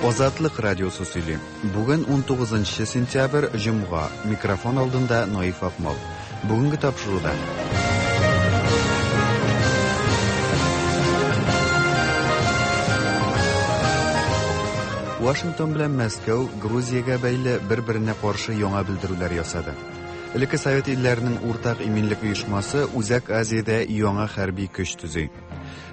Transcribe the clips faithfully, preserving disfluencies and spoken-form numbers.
Азатлык радиосы сөйли. Бүген унтугызынчы сентябрь, җомга. Микрофон алдында Наиф Акмал. Бүгенге тапшыруда. Вашингтон белән Мәскәү Грузиягә бәйле бер-беренә каршы яңа белдерүләр ясады. Элекке Совет илләренең уртак иминлек оешмасы Үзәк Азиядә яңа хәрби көч төзи.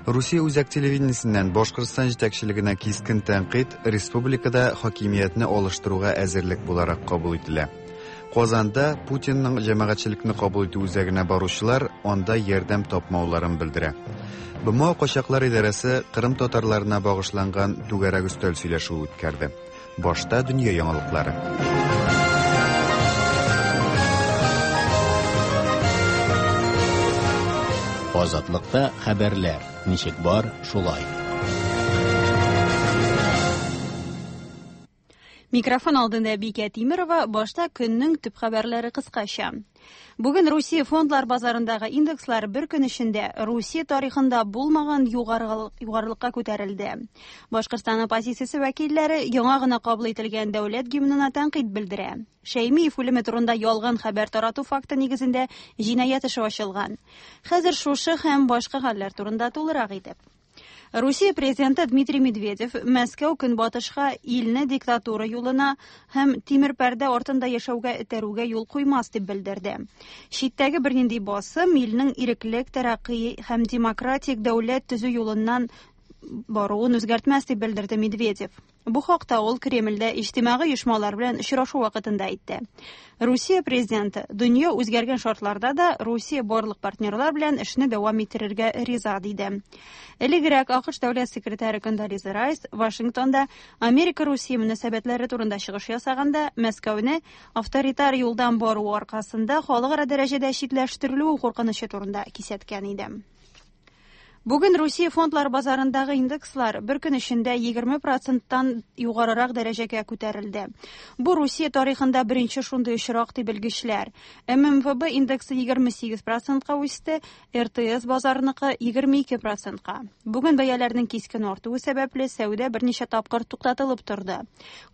Русия үзәк телевидениесеннән Башкортстан җитәкчелегенә кискен тәнкыйть республикада хакимиятне алыштыруга әзерлек буларак кабул ителә. Казанда Путинның җәмәгатьчелекне кабул итү үзәгенә баручылар анда ярдәм тапмауларын белдерә. БМО качаклар идарәсе Кырым татарларына багышланган түгәрәк өстәл сөйләшүе үткәрде. Башта дөнья яңалыклары. Азатлыкта хәбәрләр ничек бар, шулай. Микрофон алдында Бикә Тимирова, башта көннең төп хәбәрләре кыскача. Бүген Русия фондлар базарындагы индекслар бер көн эчендә Русия тарихында булмаган югарылыкка күтәрелде. Башкортстан оппозициясе вәкилләре яңа гына кабул ителгән дәүләт гимнына тәнкыйть белдерә. Шәймиев үлеме турында ялган хәбәр тарату факты нигезендә җинаять эше ачылган. Хәзер шушы һәм башка хәлләр турында тулырак итеп. Русия президенты Дмитрий Медведев Мәскәү көнбатышка илне диктатура юлына һәм тимер пәрдә артында яшәүгә этәрүгә юл куймас дип белдерде. Читтәге бернинди басым илнең иреклек, тәрәкъи һәм демократик дәүләт төзү юлыннан баруын үзгәртмәс дип белдерде Медведев. Бу хакта ул Кремльдә иҗтимагый оешмалар белән очрашу вакытында әйтте. Русия президенты дөнья үзгәргән шартларда да Русия барлык партнерлар белән эшне дәвам иттерергә риза диде. Элегрәк АКШ дәүләт секретаре Кондолиза Райс Вашингтонда Америка-Русия мөнәсәбәтләре турында чыгыш ясаганда Мәскәүне авторитар юлдан бару аркасында халыкара дәрәҗәдә читләштерелү куркынычы турында кисәткән иде. Бүген Русия фондлар базарындагы индекслар бер көн эчендә егерме проценттан югарырак дәрәҗәгә күтәрелде. Бу Русия тарихында беренче шундый очрак дип белгечләр. эм эм вэ бэ индексы егерме сигез процентка үсте, эр тэ эс базарыныкы егерме ике процентка. Бүген бәяләрнең кискен артуы сәбәпле сәүдә берничә тапкыр туктатылып торды.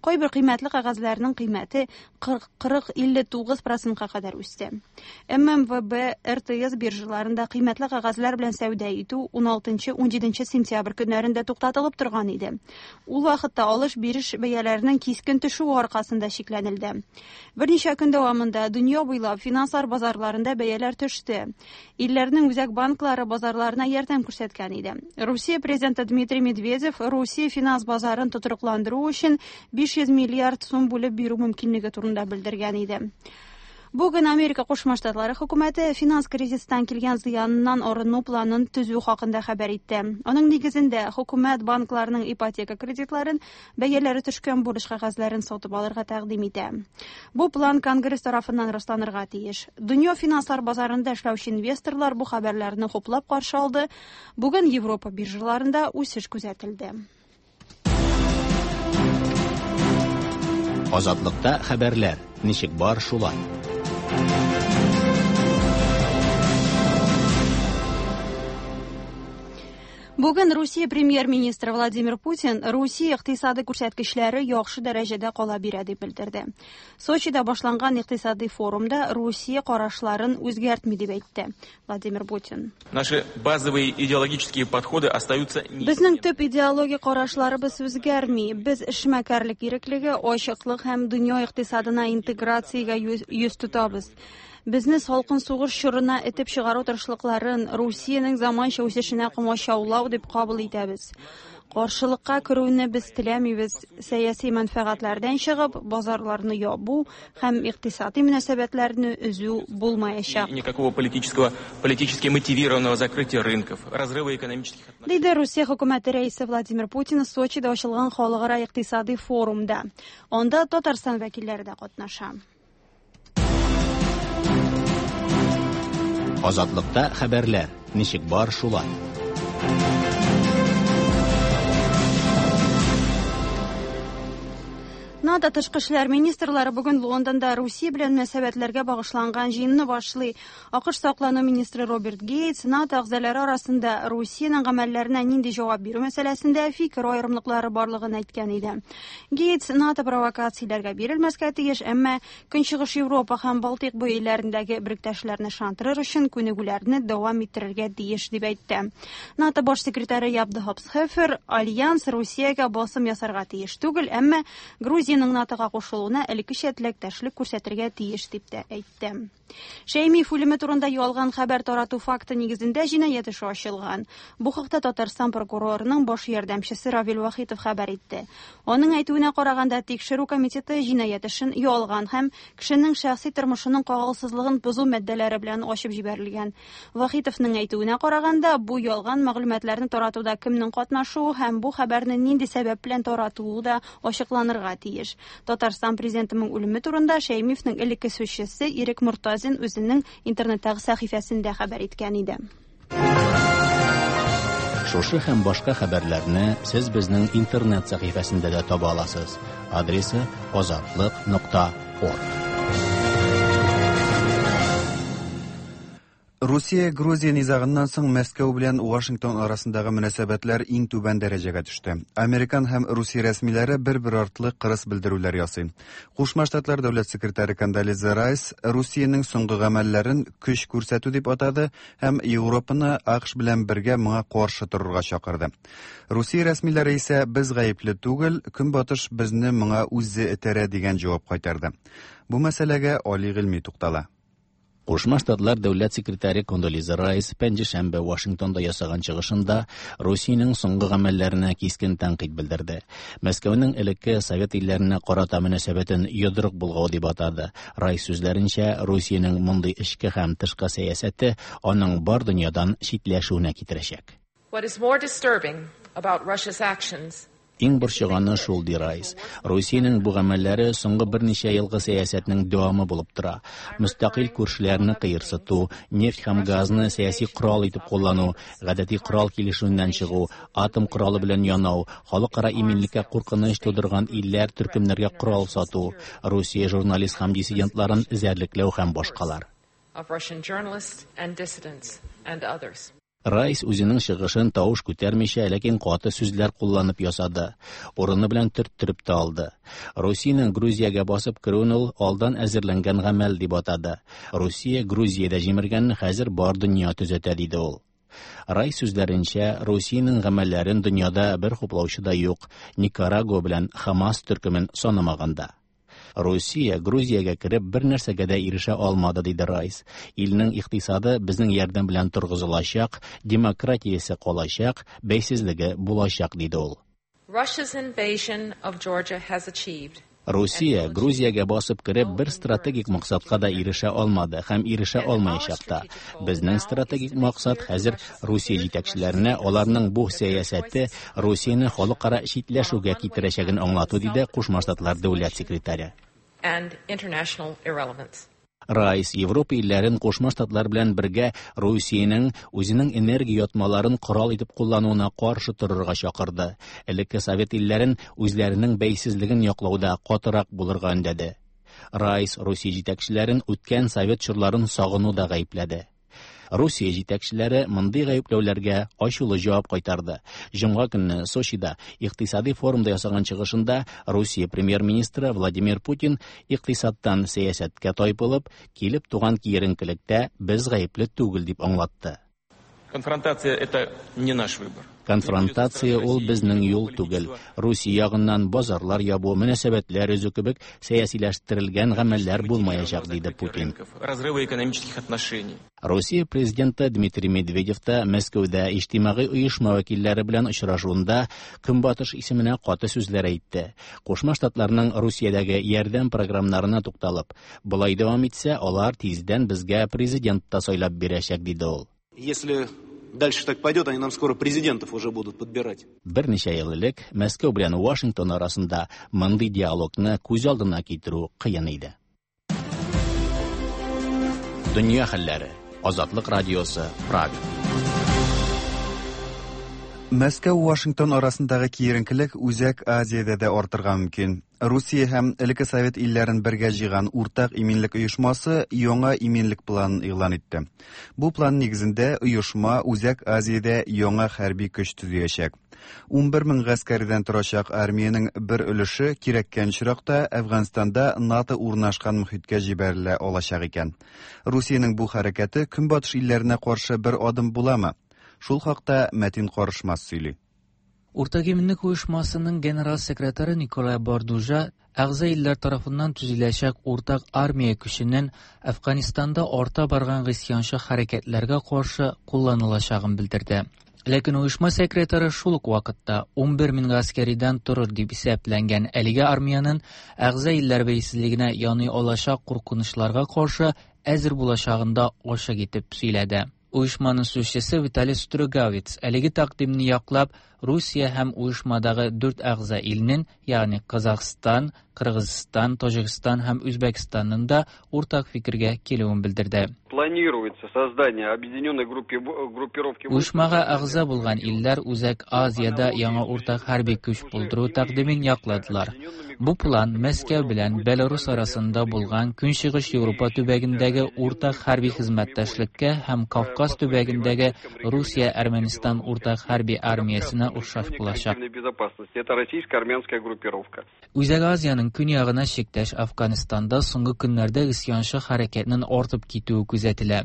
Кайбер кыйммәтле кәгазьләрнең кыйммәте кырык илле тугыз процентка кадәр үсте. эм эм вэ бэ, эр тэ эс биржаларында кыйммәтле кәгазьләр белән сәүдә итү ун алтынчы, ун җиденче сентябрь көннәрендә туктатылып торган иде. Ул вакытта алыш-биреш бәяләренең кискен төшүе аркасында чикләнелде. Берничә көн дәвамында дөнья буйлап финанслар базарларында бәяләр төште. Илләрнең үзәк банклары базарларына ярдәм күрсәткән иде. Русия президенты Дмитрий Медведев Русия финанс базарын тотрыкландыру өчен биш йөз миллиард сум бүлеп бирү мөмкинлеге турында белдергән иде. Бүген Америка Кушма Штатлары хөкүмәте финанс кризистан килгән зыяныннан арыну планын төзү хакында хәбәр итте. Аның нигезендә хөкүмәт банкларының ипотека кредитларын бәяләре төшкән бурыч кәгазьләрен сатып алырга тәкъдим итә. Бу план Конгресс тарафыннан расланырга тиеш. Дөнья финанслар базарында эшләүче инвесторлар бу хәбәрләрне хуплап каршы алды. Бүген Европа биржаларында үсеш күзәтелде. Азатлыкта хәбәрләр ничек бар, шулай. Бүген Русия премьер-министры Владимир Путин Русия икътисады күрсәткечләре яхшы дәрәҗәдә кала бирә дип белдерде. Сочида башланган икътисади форумда Русия карашларын үзгәртми дип әйтте Владимир Путин. Наши базовые идеологические подходы остаются Безнең төп идеологик карашларыбыз үзгәрми. Без эшмәкәрлек иреклеге, ачыклык һәм дөнья икътисадына интеграциягә йөз тотабыз. Безне салкын сугыш чорына этеп чыгару тырышлыкларын Русиянең заманча үсешенә комачаулау дип кабул итәбез. Каршылыкка керүне без теләмибез. Сәяси мәнфәгатьләрдән чыгып, базарларны ябу һәм икътисади мөнәсәбәтләрне өзү булмаячак. Никакого политического, политически мотивированного закрытия рынков, разрыва экономических отношений. Диде Русия хөкүмәте рәисе Владимир Путин Сочида ачылган халыкара икътисади форумда. Анда Татарстан вәкилләре дә катнаша. Азатлыкта хәбәрләр ничек бар, шулай. НАТО НАТО тышкы эшләр министрлары бүген Лондонда Русия белән мөнәсәбәтләргә багышланган җыенны башлый. АКШ саклану министры Роберт Гейтс НАТО әгъзалары арасында Русиянең гамәлләренә нинди җавап бирү мәсьәләсендә фикер аерымлыклары барлыгын әйткән иде. Гейтс НАТО провокацияләргә бирелмәскә тиеш, әмма Көнчыгыш Европа һәм Балтыйк буе илләрендәге беректәшләрне ышандырыр өчен күнегүләрне дәвам иттерергә тиеш дип әйтте. НАТО баш секретаре Яп де Хоп Схефер альянс Русиягә басым ясарга тиеш түгел, әмма Грузиянең НАТОга кушылуына элеккечә теләктәшлек күрсәтергә тиеш дип тә әйтте. Шәймиев үлеме турында ялган хәбәр тарату факты нигезендә җинаять эше ачылган. Бу хакта Татарстан прокурорының баш ярдәмчесе Равил Вахитов хәбәр итте. Аның әйтүенә караганда, тикшерү комитеты җинаять эшен ялган һәм кешенең шәхси тормышының кагылсызлыгын бозу маддәләре белән ачып җибәрелгән. Вахитовның әйтүенә караганда, бу ялган мәгълүматларны таратуда кемнең катнашуы һәм бу хәбәрне нинди сәбәп белән таратуы да ачыкланырга тиеш. Татарстан президентының үлеме турында Шәймиевнең элекке сүзчесе Ирек Мортазин үзенең интернеттагы сәхифәсендә хәбәр иткән иде. Шушы һәм башка хәбәрләрне сез безнең интернет сәхифәсендә дә таба аласыз. Адресы азатлык нокта орг. Русия-Грузия низагыннан соң Мәскәү белән Вашингтон арасындагы мөнәсәбәтләр иң түбән дәрәҗәгә төште. Американ һәм Русия рәсмиләре бер-бер артлы кырыс белдерүләр ясый. Кушма Штатлар дәүләт секретаре Кондолиза Райс Русиянең соңгы гамәлләрен көч күрсәтү дип атады һәм Европаны АКШ белән бергә моңа каршы торырга чакырды. Русия рәсмиләре исә без гаепле түгел, Көнбатыш безне моңа үзе этәрә дигән җавап кайтарды. Бу мәсьәләгә Али Гыйльми туктала. Кушма Штатлар дәүләт секретаре Кондолиза Райс пәнҗешәмбе Вашингтонда ясаган чыгышында Русиянең соңгы гамәлләренә кискен тәнкыйть белдерде. Мәскәүнең элекке совет илләренә карата мөнәсәбәтен йодрык булгау дип атады. Райс сүзләренчә, Русиянең мондый эчке һәм тышкы сәясәте аның бар дөньядан читләшүенә китерәчәк. What is more disturbing about Russia's actions Иң борчыганы шул, ди Райс. Русиянең бу гамәлләре соңгы берничә елгы сәясәтнең дәвамы булып тора. Мөстәкыйль күршеләрне кыерсыту, нефть һәм газны сәяси корал итеп куллану, гадәти корал килешүеннән чыгу, атом коралы белән янау, халыкара иминлеккә куркыныч тудырган илләр төркемнәргә корал сату, Русия журналист һәм диссидентларын эзәрлекләү һәм башкалар. of Russian journalists and dissidents and others. Райс үзенең чыгышын тавыш күтәрмичә, ләкин каты сүзләр кулланып ясады. Урыны белән төрттереп тә алды. Русиянең Грузиягә басып керүен ул алдан әзерләнгән гамәл дип атады. Русия Грузиядә җимергәнне хәзер бар дөнья төзәтә, диде ул. Райс сүзләренчә, Русиянең гамәлләрен дөньяда бер хуплаучы да юк, Никарагуа белән Хамас төркемен санамаганда. Русия Грузиягә кереп бер нәрсәгә дә ирешә алмады, диде Райс. Илнең икътисады безнең ярдәм белән торгызылачак, демократиясе калачак, бәйсезлеге булачак, диде ул. Russia's invasion of Georgia has achieved Русия Грузиягә басып кереп бер стратегик максатка да ирешә алмады һәм ирешә алмаячак та. Безнең стратегик максат хәзер Русия җитәкчеләренә аларның бу сәясәте Русияне халыкара читләшүгә китерәчәген аңлату, диде Кушма Штатлар дәүләт секретаре. and international irrelevance. Райс Европа илләрен Кушма Штатлар белән бергә Русиянең үзенең энергия ятмаларын корал итеп куллануына каршы торырга чакырды. Элекке совет илләрен үзләренең бәйсезлеген яклауда катырак булырга өндәде. Райс Русия җитәкчеләрен үткән совет чорларын сагынуда гаепләде. Русия җитәкчеләре мондый гаепләүләргә ачулы җавап кайтарды. Җомга көнне Сочида икътисади форумда ясаган чыгышында Русия премьер-министры Владимир Путин икътисадтан сәясәткә тайпылып, килеп туган киеренкелектә без гаепле түгел дип аңлатты. Конфронтация это не наш выбор. Конфронтация ул безнең юл түгел. Русия ягыннан базарлар ябу, мөнәсәбәтләр өзү кебек сәясиләштерелгән гамәлләр булмаячак, диде Путин. Разрыва экономических отношений. Русия президенты Дмитрий Медведев та Мәскәүдә иҗтимагый оешма вәкилләре белән очрашуында Көнбатыш исеменә каты сүзләр әйтте. Кушма Штатларның Русиядәге ярдәм программаларына тукталып, болай дәвам итсә, алар тиздән безгә президент та сайлап бирәчәк, диде ул. Если дальше так пойдет, они нам скоро президентов уже будут подбирать. Берничә ел элек Мәскәү белән Вашингтон арасында мондый диалогны күз алдына китерү кыен иде. Дөнья хәлләре. Азатлык радиосы, Прага. Мәскәү Вашингтон арасындагы киеренкелек Үзәк Азиядә дә артырга мөмкин. Русия һәм элекке совет илләрен бергә җыйган уртак иминлек оешмасы яңа иминлек планын игълан итте. Бу план нигезендә оешма Үзәк Азиядә яңа хәрби көч төзиячәк. ун бер мең гаскәрдән торачак армиянең бер өлеше кирәккән очракта Әфганстанда НАТО урнашкан мөхиткә җибәрелә алачак икән. Русиянең бу хәрәкәте Көнбатыш илләренә каршы бер адым буламы? Шул хакта Мәтин Карышмас сөйли. Уртак иминлек оешмасының генерал секретаре Николай Бордужа әгъза илләр тарафыннан төзеләчәк уртак армия көченең Әфганстанда арта барган гыйсьянчы хәрәкәтләргә каршы кулланылачагын белдерде. Ләкин оешма секретаре шул ук вакытта ун бер мең гаскәридән торыр дип исәпләнгән әлеге армиянең әгъза илләр бәйсезлегенә яный алачак куркынычларга каршы әзер булачагын да ачык итеп сөйләде. Оешманың сүзчесе Виталий Стругавиц әлеге тәкъдимне яклап, Русия һәм оешмадагы дүрт әгъза илнең, ягъни Казахстан, Кыргызстан, Таҗикстан һәм Үзбәкстанның да уртак фикергә килүен белдерде. Планируется создание объединенной группировки. Оешмага әгъза булган илләр Үзәк Азиядә яңа уртак хәрби көч булдыру тәкъдимен якладылар. Бу план Мәскәү белән Беларусь арасында булган Көнчыгыш Европа төбәгендәге уртак хәрби хезмәттәшлеккә һәм Кавказ төбәгендәге Русия-Әрмәнстан уртак хәрби армиясенә охшаш булачак. Это российско-армянская группировка. Үзәк Азиянең көньягына чиктәш Афганистанда соңгы көннәрдә гыйсьянчы хәрәкәтнең артып китүе күзәтелә.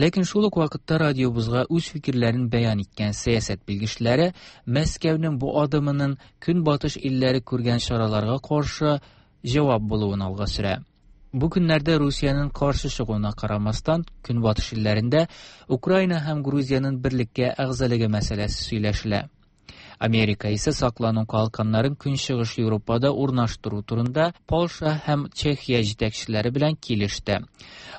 Ләкин шул ук вакытта радиобызга үз фикерләрен бәян иткән сәясәт белгечләре Мәскәүнең бу адымының Көнбатыш илләре күргән чараларга каршы җавап булуын алга сөрә. Бу көннәрдә Русиянең каршы чыгуына карамастан, Көнбатыш илләрендә Украина һәм Грузиянең берлеккә әгъзалыгы мәсьәләсе сөйләшелә. Америка исә саклану калканнарын Көнчыгыш Европада урнаштыру турында Польша һәм Чехия җитәкчеләре белән килеште.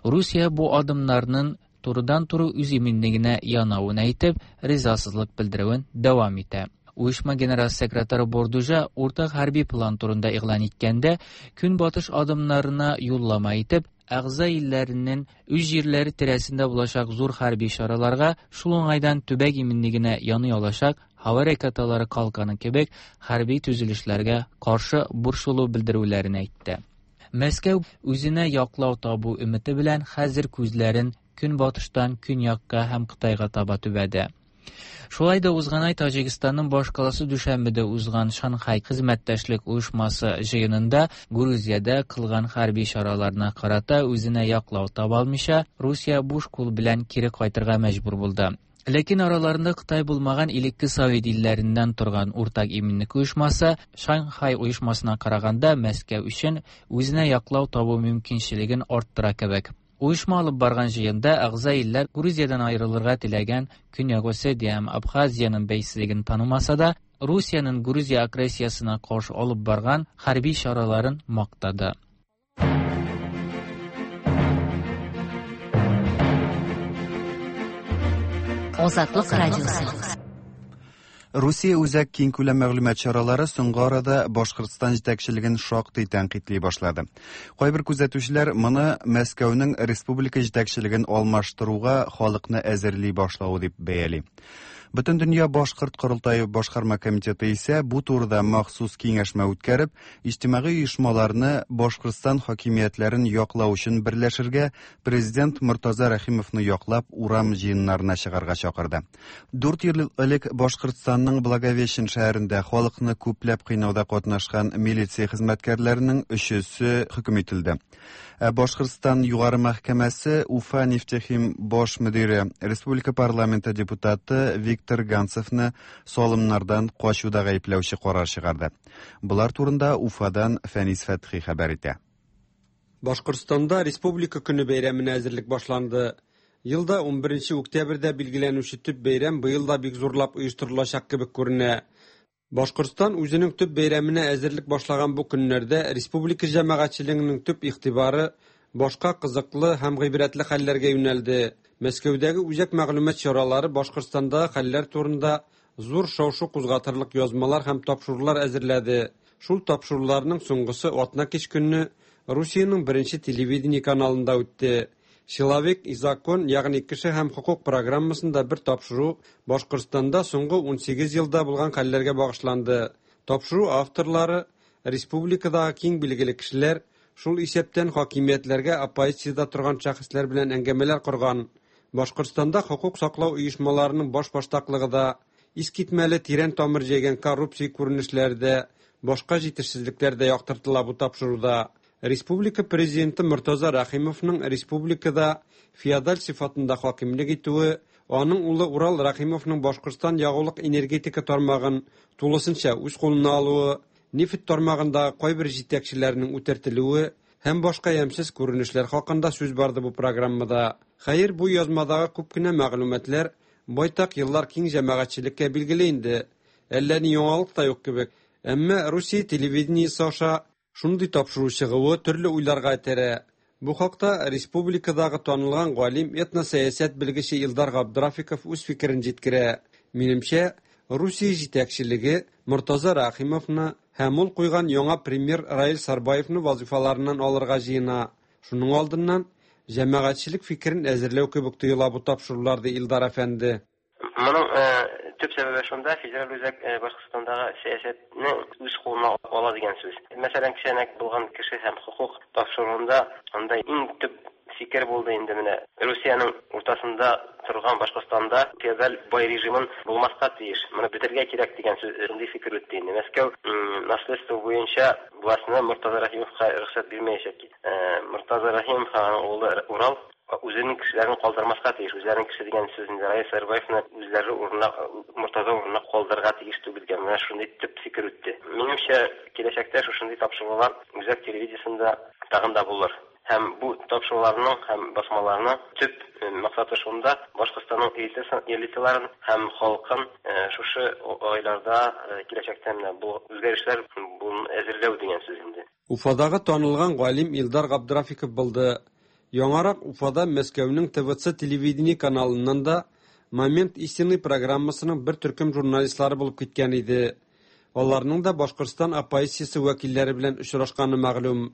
Русия бу адымнарның турыдан-туры үз иминлегенә янавын әйтеп, ризасызлык белдерүен дәвам итә. Оешма генерал секретаре Бордужа уртак хәрби план турында игълан иткәндә, Көнбатыш адымнарына юллама итеп, әгъза илләренең үз җирләре тирәсендә булачак зур хәрби чараларга, шул уңайдан төбәк иминлегенә яный алачак һава ракеталары калканы кебек хәрби төзелешләргә каршы борчылу белдерүләрен әйтте. Мәскәү үзенә яклау табу өмете белән хәзер күзләрен Көнбатыштан көньякка һәм Кытайга таба төбәде. Шулай да узган ай Таҗикстанның башкаласы Дүшәнбедә узган Шанхай хезмәттәшлек оешмасы җыенында Грузиядә кылган хәрби чараларына карата үзенә яклау таба алмыйча, Русия буш кул белән кире кайтырга мәҗбүр булды. Ләкин араларында Кытай булмаган элекке совет илләреннән торган уртак иминлек оешмасы Шанхай оешмасына караганда Мәскәү өчен үзенә яклау табу мөмкинчелеген арттыра кебек. Оешма алып барган җыенда әгъза илләр Грузиядән аерылырга теләгән Көньяк Осетия һәм Абхазиянең бәйсезлеген танымаса да, Русиянең Грузия агрессиясына каршы алып барган хәрби чараларын мактады. Азатлык радиосы. Русия үзәк киңкүләм мәгълүмат чаралары соңгы арада Башкортстан җитәкчелеген шактый тәнкыйтьли башлады. Кайбер күзәтүчеләр моны Мәскәүнең республика җитәкчелеген алмаштыруга халыкны әзерли башлавы дип бәяли. Бөтендөнья Башкорт корылтае башкарма комитеты исә бу турыда махсус киңәшмә үткәреп, иҗтимагый оешмаларны Башкортстан хакимиятләрен яклау өчен берләшергә, президент Мортаза Рәхимовны яклап урам җыеннарына чыгарга чакырды. Дүрт ел элек Башкортстанның Благовещен шәһәрендә халыкны күпләп кыйнауда катнашкан милиция хезмәткәрләренең өчесе хөкем ителде. Ә Башкортстан Югары мәхкәмәсе Уфа нефтехим баш мөдире, республика парламенты депутаты Виктор Ганцевны салымнардан качуда гаепләүче карар чыгарды. Булар турында Уфадан Фәнис Фәтхи хәбәр итә. Башкортстанда Республика көне бәйрәменә әзерлек башланды. Елда ун беренче октябрьдә билгеләнүче төп бәйрәм быел да бик зурлап оештырылачак кебек күренә. Башкортстан үзенең төп бәйрәменә әзерлек башлаган бу көннәрдә республика җәмәгатьчелегенең төп игътибары башка кызыклы һәм гыйбрәтле хәлләргә юнәлде. Мәскәүдәге үзәк мәгълүмат чаралары Башкортстандагы хәлләр турында зур шау-шу кузгатырлык язмалар һәм тапшырулар әзерләде. Шул тапшыруларның соңгысы атна кич көнне Русиянең беренче телевидение каналында үтте. Человек и закон, ягъни кеше һәм хокук программасында бер тапшыру Башкортстанда соңгы унсигез елда булган хәлләргә багышланды. Тапшыру авторлары республикадагы киң билгеле кешеләр, шул исәптән хакимиятләргә оппозициядә торган шәхесләр белән әңгәмәләр корган. Башкортстанда хокук саклау оешмаларының башбаштаклыгы да, искитмәле тирән тамыр җәйгән коррупция күренешләре дә, башка җитешсезлекләр дә яктыртыла бу тапшыруда. Республика президенты Мортаза Рәхимовның республикада феодаль сыйфатында хакимлек итүе, аның улы Урал Рәхимовның Башкортстан ягулык энергетика тармагын тулысынча үз кулына алуы, нефть тармагындагы кайбер җитәкчеләрнең үтертелүе һәм башка ямьсез күренешләр хакында сүз барды бу программада. Хәер, бу язмадагы күп кенә мәгълүматлар байтак еллар киң җәмәгатьчелеккә билгеле инде. Әллә ни яңалык та юк кебек. Әмма Русия телевидениесе аша шундый тапшыру чыгуы төрле уйларга этәрә. Бу хакта республикадагы танылган галим, этносәясәт белгече Илдар Габдрафиков үз фикерен җиткерә. Минемчә, Русия җитәкчелеге Мортаза Рәхимовны һәм ул куйган яңа премьер Раил Сарбаевны вазифаларыннан алырга җыена. Шуның алдыннан җәмәгатьчелек фикерен әзерләү кебек тоела бу тапшырулар, ди Илдар әфәнде. Моның төп сәбәбе шунда, федераль үзәк Башкортстандагы сәясәтне үз кулына ала дигән сүз. Мәсәлән, кешәнәк булган кеше һәм хокук тапшыруында анда иң төп фикер булды инде менә Русиянең уртасында торган Башкортстанда феодаль бай режимын булмаска тиеш. Моны бетерергә кирәк дигән сүз, шундый фикер үтте инде. Мәскәү наследство буенча властьны Мортаза Рәхимовка рөхсәт бирмәячәк. Мортаза Рәхимов аның улы Урал үзенең кешеләрен калдырмаска тиеш. Үзләренең кеше дигән сүз инде Раил Сарбаевны үзләре урынына, Мортаза урынына калдырырга тиеш түгел дигән менә шундый төп фикер үтте. Минемчә, киләчәктә шушындый тапшырулар үзәк телевидениесендә тагын да булыр. Һәм бу тапшыруларның һәм басмаларның төп максаты шунда, Башкортстанның элиталарын һәм халкын шушы айларда киләчәктә менә бу үзгәрешләр әзерләү дигән сүз инде. Уфадагы танылган галим Илдар Габдрафиков булды. Яңарак Уфада Мәскәүнең Т В Ц телевидение каналыннан да Момент истины программасының бер төркем журналистлары булып киткән иде. Аларның да Башкортстан оппозициясе вәкилләре белән очрашканы мәгълүм.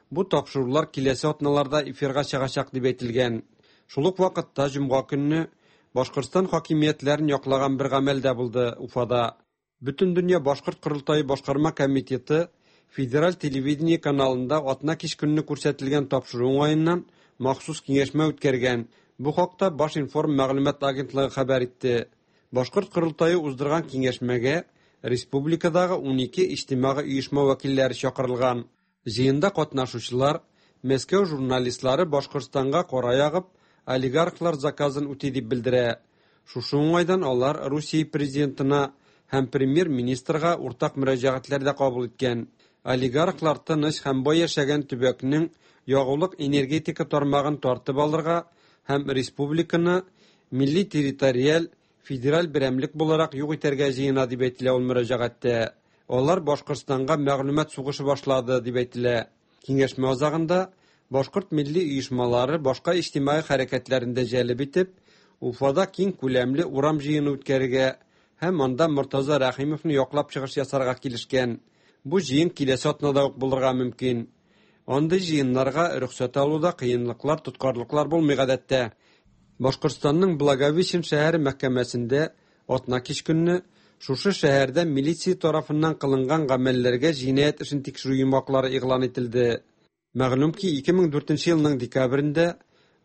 Бу тапшырулар киләсе атналарда эфирга чыгачак дип әйтелгән. Шул ук вакытта җомга көнне Башкортстан хакимиятләрен яклаган бер гамәл дә булды Уфада. Бөтендөнья Башкорт Корылтае башкарма комитеты федераль телевидение каналында атна кич көнне күрсәтелгән тапшыру уңаеннан махсус киңәшмә үткәргән. Бу хакта Башинформ мәгълүмат агентлыгы хәбәр итте. Башкорт Корылтае уздырган киңәшмәгә республикадагы унике иҗтимагый оешма вәкилләре чакырылган. Җыенда катнашучылар Мәскәү журналистлары Башкортстанга кара ягып, олигархлар заказын үти дип белдерә. Шушы уңайдан алар Русия президентына һәм премьер-министрга уртак мөрәҗәгатьләр дә кабул иткән. Олигархлар тыныч һәм бай яшәгән төбәкнең ягулык энергетика тармагын тартып алырга һәм республиканы милли территориаль федераль берәмлек буларак юк итәргә җыена дип әйтелә ул мөрәҗәгатьтә. Алар Башкортстанга мәгълүмат сугышы башлады дип әйтелә. Киңәшмә азагында башкорт милли оешмалары башка иҗтимагый хәрәкәтләрен дә җәлеп итеп, Уфада киң күләмле урам җыены үткәрергә һәм анда Мортаза Рәхимовны яклап чыгыш ясарга килешкән. Бу җыен киләсе атнада ук булырга мөмкин. Андый җыеннарга рөхсәт алуда кыенлыклар, тоткарлыклар булмый гадәттә. Башкортстанның Благовещен шәһәре мәхкәмәсендә атна кич көнне шушы шәһәрдә милиция тарафыннан кылынган гамәлләргә җинаять эшен тикшерү йомгаклары игълан ителде. Мәгълүм ки, ике мең дүртенче елның декабрендә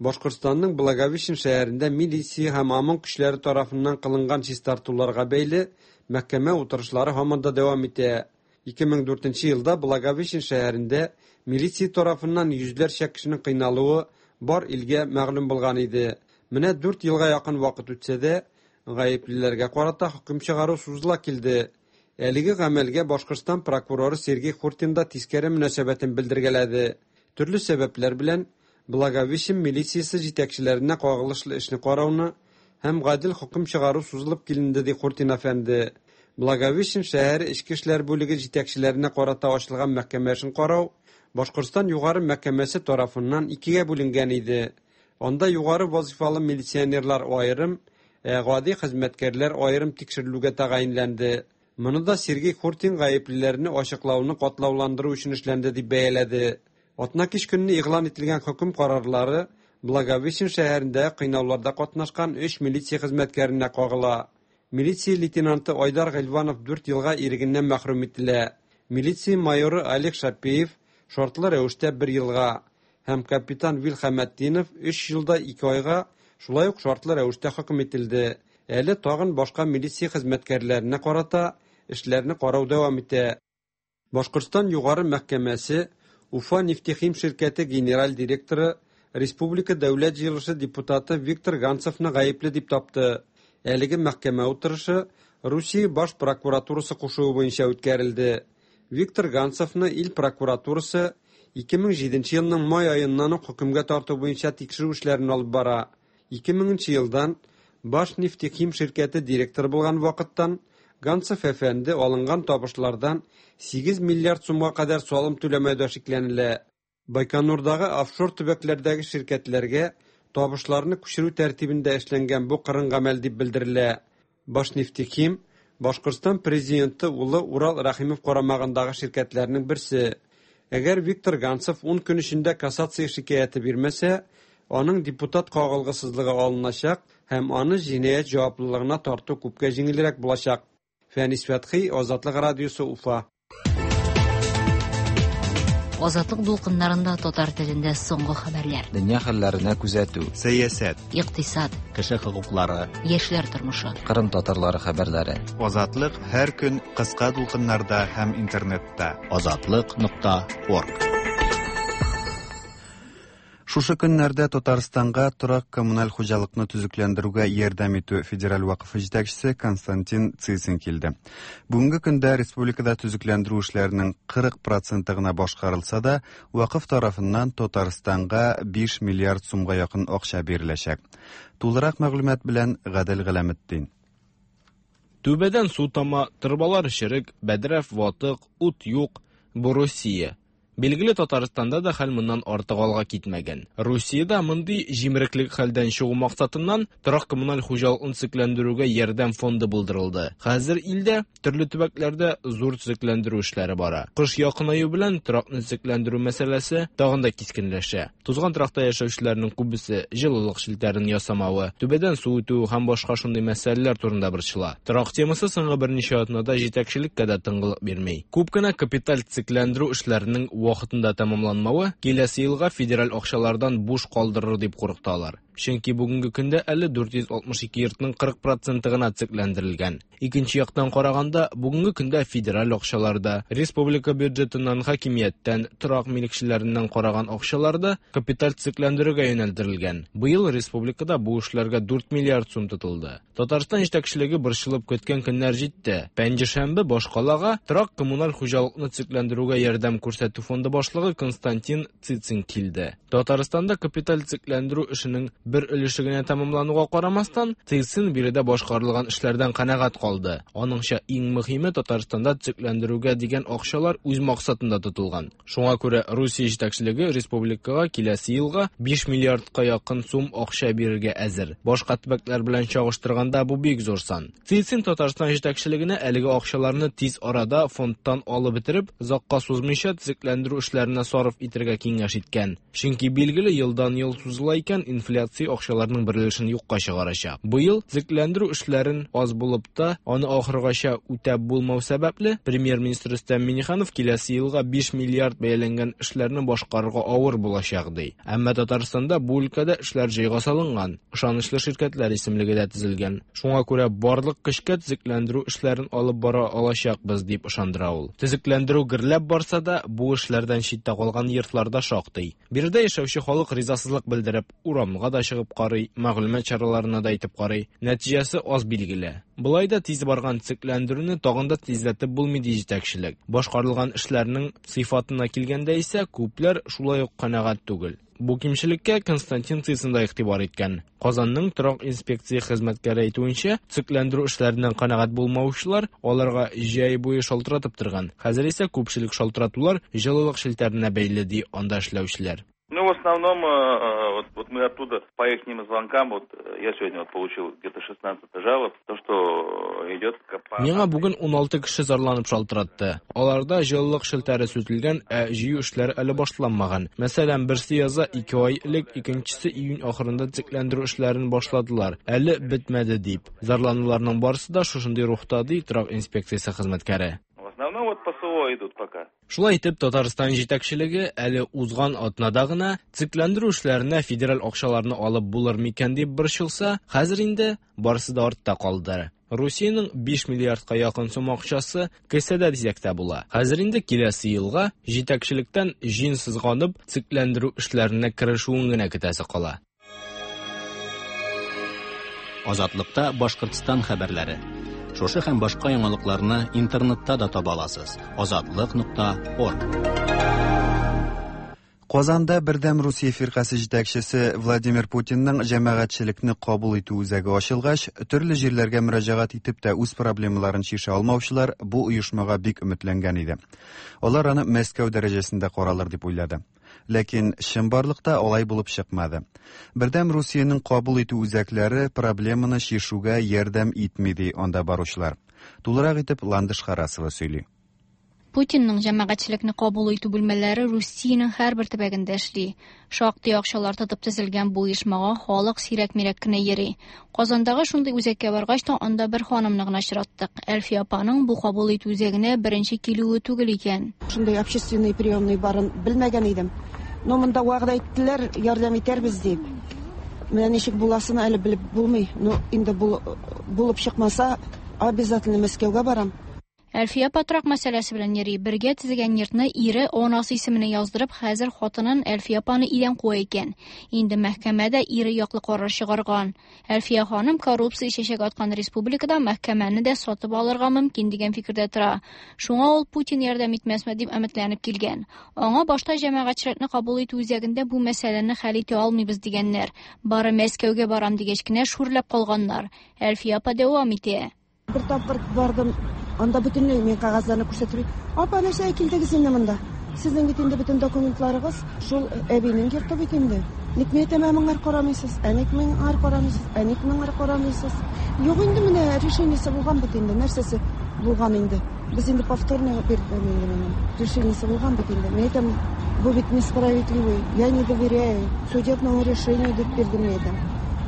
Башкортстанның Благовещен шәһәрендә милиция һәм ОМОН көчләре тарафыннан кылынган чистартуларга бәйле мәхкәмә утырышлары һаман да дәвам итә. Ике мең дүртенче елда Благовещен шәһәрендә милиция тарафыннан йөзләрчә кешенең кыйналуы бар илгә мәгълүм булган иде. Менә дүрт елга якын вакыт үтсә дә, гаеплеләргә карата хөкем чыгару сузыла килде. Әлеге гамәлгә Башкортстан прокуроры Сергей Хуртин да тискәре мөнәсәбәтен белдергәләде. Төрле сәбәпләр белән Благовещен милициясе җитәкчеләренә кагылышлы эшне карауны һәм гадел хөкем чыгару сузылып киленде, ди Хуртин әфәнде. Благовещен шәһәре эчке эшләр бүлеге җитәкчеләренә карата ачылган мәхкәмә эшен карау Башкортстан Югары мәхкәмәсе тарафыннан икегә бүленгән иде. Анда югары вазифалы милиционерлар аерым, ә гади хезмәткәрләр аерым тикшерелүгә тәгаенләнде. Моны да Сергей Хуртин гаеплеләрне ачыклауны катлауландыру өчен эшләнде дип бәяләде. Атна кич көнне игълан ителгән хөкем карарлары Благовещен шәһәрендә кыйнауларда катнашкан өч милиция хезмәткәренә кагыла. Милиция лейтенанты Айдар Гыйльванов дүрт елга ирегеннән мәхрүм ителә. Милиция майоры Олег Шапеев шартлы рәвештә бер елга һәм капитан Вил Хәмәтдинов өч елда ике айга шулай ук шартлы рәвештә хөкем ителде. Әле тагын башка милиция хезмәткәрләренә карата эшләрне карау дәвам итә. Башкортстан Югары мәхкәмәсе Уфа нефтехим ширкәте генераль директоры, Республика Дәүләт җыелышы депутаты Виктор Ганцевны гаепле дип тапты. Әлеге мәхкәмә утырышы Русия баш прокуратурасы кушуы буенча үткәрелде. Виктор Ганцевны ил прокуратурасы ике мең җиденче елның май аеннан ук хөкемгә тарту буенча тикшерү эшләрен алып бара. ике меңенче елдан баш нефтехим ширкәте директоры булган вакыттан Ганцев әфәнде алынган табышлардан сигез миллиард сумга кадәр салым түләмәүдә шикләнелә. Байконурдагы офшор төбәкләрдәге ширкәтләргә табышларны күчерү тәртибендә эшләнгән бу кырын гамәл дип белдерелә. Башнефтехим Башкортстан президенты улы Урал Рәхимов карамагындагы ширкәтләрнең берсе. Әгәр Виктор Ганцев ун көн эчендә кассация шикаяте бирмәсә, аның депутат кагылгысызлыгы алыначак һәм аны җинаять җаваплылыгына тарту күпкә җиңелрәк булачак. Фәнис Фәтхи, Азатлык радиосы, Уфа. Азатлык дулкыннарында татар телендә соңгы хәбәрләр. Дөнья хәлләренә күзәтү. Сәясәт. Икътисад. Кеше хокуклары. Яшьләр тормышы. Кырым татарлары хәбәрләре. Азатлык һәр көн кыска дулкыннарда һәм интернетта. Азатлык нокта орг. Шушы көннәрдә Татарстанга торак коммуналь хуҗалыкны төзекләндерүгә ярдәм итү федераль вакыфы җитәкчесе Константин Цицин килде. Бүгенге көндә республикада төзекләндерү эшләренең кырык проценты гына башкарылса да, вакыф тарафыннан Татарстанга биш миллиард сумга якын акча биреләчәк. Тулырак мәгълүмат белән Гадел Галәметдин. Түбәдән су тама, торбалар черек, бәдрәф ватык, ут юк. Бу Русия. Билгеле, Татарстанда да хәл моннан артык алга китмәгән. Русиядә мондый җимереклек хәлдән чыгу максатыннан торак коммуналь хуҗалыкны төзекләндерүгә ярдәм фонды булдырылды. Хәзер илдә төрле төбәкләрдә зур төзекләндерү эшләре бара. Кыш якынаю белән торакны төзекләндерү мәсьәләсе тагын да кискенләшә. Тузган торакта яшәүчеләрнең күбесе җылылык челтәрен ясамавы, түбәдән су үтү һәм башка шундый мәсьәләләр турында борчыла. Торак темасы соңгы берничә атнада җитәкчелеккә дә тынгылык бирми. Күп кенә капиталь төзекләндерү эшләренең вакытында тәмамланмавы киләсе елга федераль акчалардан буш калдырыр дип курыкталар. Чөнки бүгенге көндә әле дүрт йөз алтмыш ике йортның кырык проценты гына төзекләндерелгән. Икенче яктан караганда, бүгенге көндә федераль акчаларда, республика бюджетыннан, хакимияттән, торак милекчеләреннән караган акчаларда капиталь төзекләндерүгә юнәлдерелгән. Быел республикада бу эшләргә дүрт миллиард сум тотылды. Татарстан җитәкчелеге борчылып көткән көннәр җитте. Пәнҗешәмбе башкалага торак коммуналь хуҗалыкны төзекләндерүгә ярдәм күрсәтү фонды башлыгы Константин Цицин килде. Татарстанда капиталь төзекләндерү эшенең бер өлеше генә тәмамлануга карамастан, Цицин биредә башкарылган эшләрдән канәгать калды. Аныңча, иң мөһиме Татарстанда төзекләндерүгә дигән акчалар үз максатында тотылган. Шуңа күрә Русия җитәкчелеге республикага киләсе елга биш миллиардка якын сум акча бирергә әзер. Башка төбәкләр белән чагыштырганда бу бик зур сан. Цицин Татарстан җитәкчелегенә әлеге акчаларны тиз арада фондтан алып бетереп, озакка сузмыйча төзекләндерү эшләренә сарыф итәргә киңәш иткән. Чөнки билгеле елдан ел сузыла икән, инфляция акчаларның бер өлешен юкка чыгарачак. Быел төзекләндерү эшләрен аз булып та, аны ахыргача үтәп булмау сәбәпле, премьер-министр Рөстәм Миңнеханов киләсе елга биш миллиард бәяләнгән эшләрне башкарырга авыр булачак ди. Әмма Татарстанда бу өлкәдә эшләр җайга салынган, ышанычлы ширкәтләр исемлеге дә төзелгән. Шуңа күрә барлык көчкә төзекләндерү эшләрен алып бара алачакбыз дип ышандыра ул. Төзекләндерү гөрләп барса да, бу эшләрдән читтә калган йортларда шактый. Биредә яшәүче халык ризасызлык белдереп, урамга да чыгып карый, мәгълүмат чараларына да әйтеп карый. Нәтиҗәсе аз билгеле. Болай да тиз барган төзекләндерүне тагын да тизләтеп булмый ди җитәкчелек. Башкарылган эшләрнең сыйфатына килгәндә исә күпләр шулай ук канәгать түгел. Бу кимчелеккә Константин Цицин да игътибар иткән. Казанның торак инспекция хезмәткәре әйтүенчә, төзекләндерү эшләреннән канәгать булмаучылар аларга җәй буе шалтыратып торган. Хәзер исә күпчелек шалтыратулар җылылык челтәренә бәйле ди анда эшләүчеләр. Ну, в основном, вот, вот мы оттуда по их звонкам, вот я сегодня вот получил где-то шестнадцать жалоб, то, что идет... Миңа бүген уналты кеше зарланып шалтыратты. Аларда җылылык челтәре сүтелгән, ә җыю эшләре әле башланмаган. Мәсәлән, берсе яза ике ай элек, икенчесе июнь ахырында төзекләндерү эшләрен башладылар. Әле бетмәде дип. Зарлануларның барысы да шушындый рухта, ди торак инспекциясе хезмәткәре. В основном вот по СВО идут пока. Шулай итеп, Татарстан җитәкчелеге әле узган атнада гына төзекләндерү эшләренә федераль акчаларны алып булыр микән дип борчылса, хәзер инде барысы да артта калды. Русиянең биш миллиардка якын сум акчасы кесәдә дисәк тә була. Хәзер инде киләсе елга җитәкчелектән җиң сызганып төзекләндерү эшләренә керешүен генә көтәсе кала. Азатлыкта Башкортстан хәбәрләре. Шушы һәм башка яңалыкларны интернетта да таба аласыз. Азатлык нокта орг. Казанда Бердәм Русия фиркасе җитәкчесе Владимир Путинның җәмәгатьчелекне кабул итү үзәге ачылгач, төрле җирләргә мөрәҗәгать итеп тә үз проблемаларын чишә алмаучылар бу оешмага бик өметләнгән иде. Алар аны Мәскәү дәрәҗәсендә каралыр дип уйлады. Ләкин чынбарлыкта алай булып чыкмады. Бердәм Русиянең кабул итү үзәкләре проблеманы чишүгә ярдәм итми, ди анда баручылар. Тулырак итеп Ландыш Харасова сөйли. Путинның җәмәгатьчелекне кабул итү бүлмәләре Русиянең һәрбер төбәгендә эшли. Шактый акчалар тотып төзелгән бу оешмага халык сирәк-мирәк кенә йөри. Казандагы шундый үзәккә баргач та анда бер ханымны гына очраттык. Әлфия апаның бу кабул итү үзәгенә беренче килүе түгел икән. Шундый общественный приемный барын белмәгән идем. Но монда вәгъдә иттеләр, ярдәм итәрбез дип. Менә ничек буласын әле белеп булмый. Но инде булып чыкмаса, обязательно Мәскәүгә барам. Әлфия патрак мәсьәләсе белән йөри. Бергә төзегән йортны ире анасы исеменә яздырып, хәзер хатынын Әлфия апаны өйдән куа икән. Инде мәхкәмәдә ире яклы карар чыгарган. Әлфия ханым коррупция чәчәк аткан республикада мәхкәмәне дә сатып алырга мөмкин дигән фикердә тора. Шуңа ул Путин ярдәм итмәсме дип өметләнеп килгән. Аңа башта җәмәгатьчелекне кабул итү үзәгендә бу мәсьәләне хәл итә алмыйбыз дигәннәр. Бары Мәскәүгә барам дигәч кенә шүрләп калганнар. Әлфия апа дәвам итә. Бер тапкыр бардым. Анда бөтенләй мин кәгазьләрне күрсәтеп, апа, нәрсә килдегез инде монда? Сезнең бит инде бөтен документларыгыз шул әбинең йорты бит инде. Ник мин әйтәм, моңар карамыйсыз, ә ник моңар карамыйсыз, ә ник моңар карамыйсыз? Юк инде, менә решениесе булган бит инде, нәрсәсе булган инде. Без инде повторно бирдем инде моны. Решениесе булган бит инде. Мин әйтәм, бу бит несправедливый, я не доверяю судебному решению дип бирдем мин әйтәм.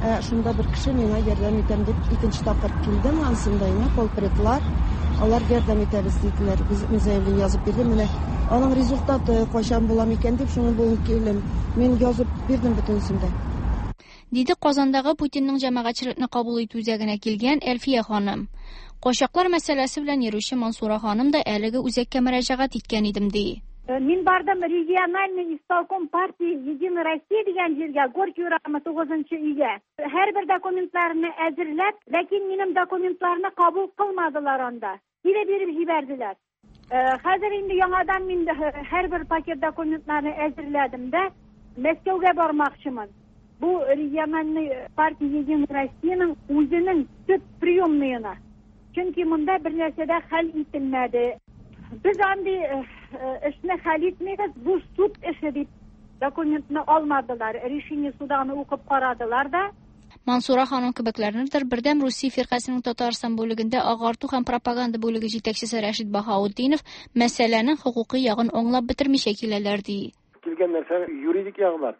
Ә шунда бер кеше миңа ярдәм итәм дип икенче тапкыр килдем, ансында инде полпредлар, алар ярдәм итәбез диделәр. Без мин заявление язып бирдем. Менә аның результаты кайчан була микән дип шуны бүген килдем. Мин язып бирдем бөтенесен дә. Диде Казандагы Путинның җәмәгатьчелекне кабул итү үзәгенә килгән Әлфия ханым. Качаклар мәсьәләсе белән йөрүче Мансура ханым да әлеге үзәккә мөрәҗәгать иткән идем ди. Мин бардым региональный исполком партии Единой России дигән җиргә, Горький урамы тугызынчы өйгә. Һәрбер документларны әзерләп, ләкин минем документларны кабул кылмадылар анда. Кире биреп җибәрделәр. Хәзер инде яңадан мин һәрбер пакет документларны әзерләдем дә, Мәскәүгә бармакчымын. Бу региональный партия Единой Россиянең үзенең төп приемныйына. Чөнки монда бер нәрсә дә хәл ителмәде. Без андый эшне хәл итмибез, бу суд эше дип документны алмадылар, решение суданы укып карадылар да. Мансура ханым кебекләрнедер Бердәм Русия фиркасының Татарстан бүлегендә агарту һәм пропаганда бүлеге җитәкчесе Рәшит Баһаутдинов мәсьәләнең хокукый ягын аңлап бетермичә киләләр ди. Килгән нәрсә юридик ягы бар.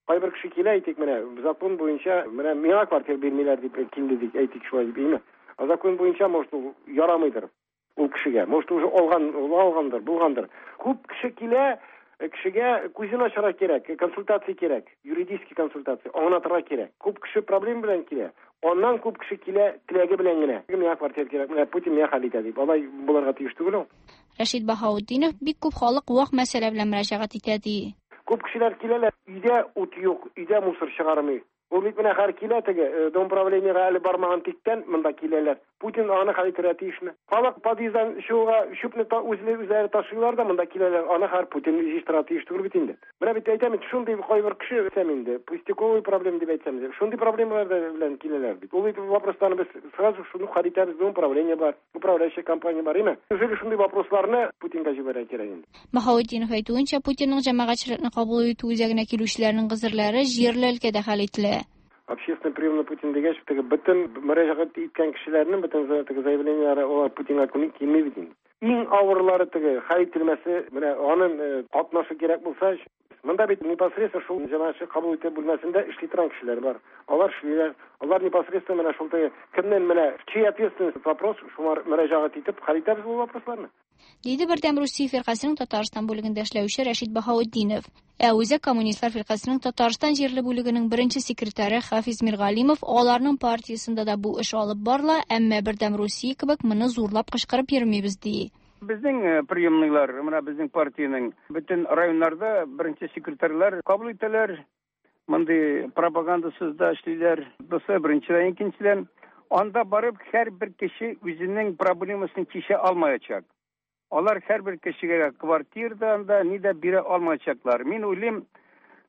Кайбер кеше килә, әйтик, менә закон буенча менә миңа квартира бирмиләр дип килде дип әйтик шулай дип, әйме? А закон буенча может ул ярамыйдыр. Ул кешегә, может уже алган, алгандыр, булгандыр. Күп кеше килә, кешегә күзен ачарга кирәк, консультация кирәк, юридический консультация, аңлатырга кирәк. Күп кеше проблема белән килә. Аннан күп кеше килә теләге белән генә. Миңа квартира кирәк, менә Путин миңа хәл итә дип. Алай булырга тиеш түгел ул. Рәшит Баһаутдинов бик күп халык вак мәсьәлә белән мөрәҗәгать итә ди. Күп кешеләр киләләр, өйдә ут юк, өйдә мусор чыгармый. Ул бит менә хәр килә теге дом правлениега әле бармаган тиктән монда киләләр. Путин аны хәл итәргә тиешме? Халык подъезддан шуга чүпне үзләре үзләре ташыйлар да монда киләләр. Аны хәр Путин җыештыра тиеш түгел бит инде. Менә бит әйтәм, шундый кайбер кеше әйтәм инде, пустяковый проблема дип әйтсәм, шундый проблемалар белән киләләр бит. Ул вопросларны без сразу шуны хәл итәбез, дом правление бар, управляющая компания бар, име? Неужели шундый вопросларны Путинга җибәрә кирәк инде? Баһаутдинов әйтүенчә, Путинның җәмәгатьчелекне кабул итү үзәгенә килүчеләрнең гозерләре җирле өлкәдә хәл ителә. Общественный приемный Путин дигәч, теге бөтен мөрәҗәгать иткән кешеләрнең бөтен теге заявлениеләре алар Путинга килми бит инде. Иң авырлары теге хәл ителмәсе, менә аның катнашы кирәк булса, монда бит непосредственно шул җәмәгатьчелек кабул итү бүлмәсендә эшли торган кешеләр бар. Алар эшлиләр. Алар непосредственно менә шул теге кемнән менә чья ответственность вопрос, шуңар мөрәҗәгать итеп хәл итәбез бу вопросларны. Диде Бердәм Русия фиркасының Татарстан бүлегендә эшләүче Рәшит Баһаутдинов. Ә Үзәк коммунистлар фиркасының Татарстан җирле бүлегенең беренче секретаре Хафиз Миргалимов аларның партиясендә дә бу эш алып барыла, әмма Бердәм Русия кебек моны зурлап кычкырып йөрмибез ди. Безнең приемныйлар, менә безнең партиянең бөтен районнарда беренче секретарьлар кабул итәләр. Мондый пропагандасыз да эшлиләр. Бусы беренчедән, икенчедән, анда барып һәрбер кеше үзенең проблемасын чишә алмаячак. Алар һәрбер кешегә квартира анда ни дә бирә алмаячаклар. Мин уйлыйм,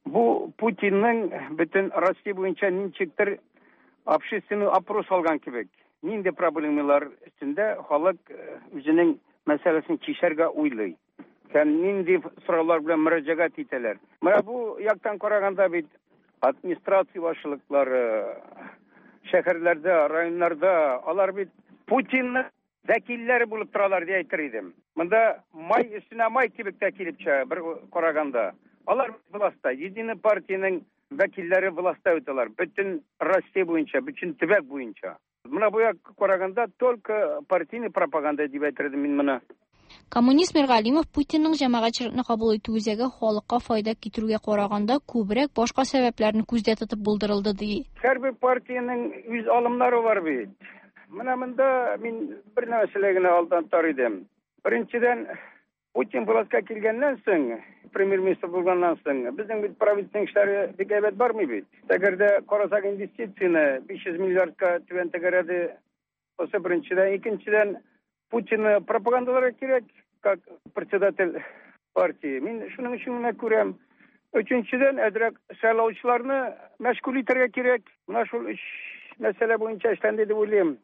бу Путинның бөтен Россия буенча ничектер общественный опрос алган кебек. Нинди проблемалар өстендә халык үзенең мәсьәләсен чишәргә уйлый. Һәм нинди сораулар белән мөрәҗәгать итәләр. Менә бу яктан караганда бит администрация башлыклары шәһәрләрдә, районнарда алар бит Путинның вәкилләре булып торалар дип әйтер идем. Монда май өстенә май кебек тә килеп чыга бер караганда. Алар властьта, Единый партиянең вәкилләре властьта үтәләр. Бөтен Россия буенча, бөтен төбәк буенча. Менә бу як караганда только партийный пропаганда дип әйтер идем мин моны. Коммунист Миргалимов Путинның җәмәгатьчелекне кабул итү үзәге халыкка файда китерүгә караганда күбрәк башка сәбәпләрне күздә тотып булдырылды ди. Һәрбер партиянең үз алымнары бар бит. Менә монда мин бер нәрсәгә генә алдан тар идем. Беренчедән, Путин властька килгәннән соң, премьер-министр булганнан соң, безнең бит правительственный эшләре бик әйбәт бармый бит. Әгәр дә карасак инвестицияне биш йөз миллиардка түбән тәгәрәде. Бусы беренчедән, икенчедән, Путинны пропагандаларга кирәк, как председатель партии. Мин шуның өчен генә күрәм. Өченчедән, әзрәк сайлаучыларны мәшгуль итәргә кирәк. Менә шул өч мәсьәлә буенча эшләнде дип уйлыйм.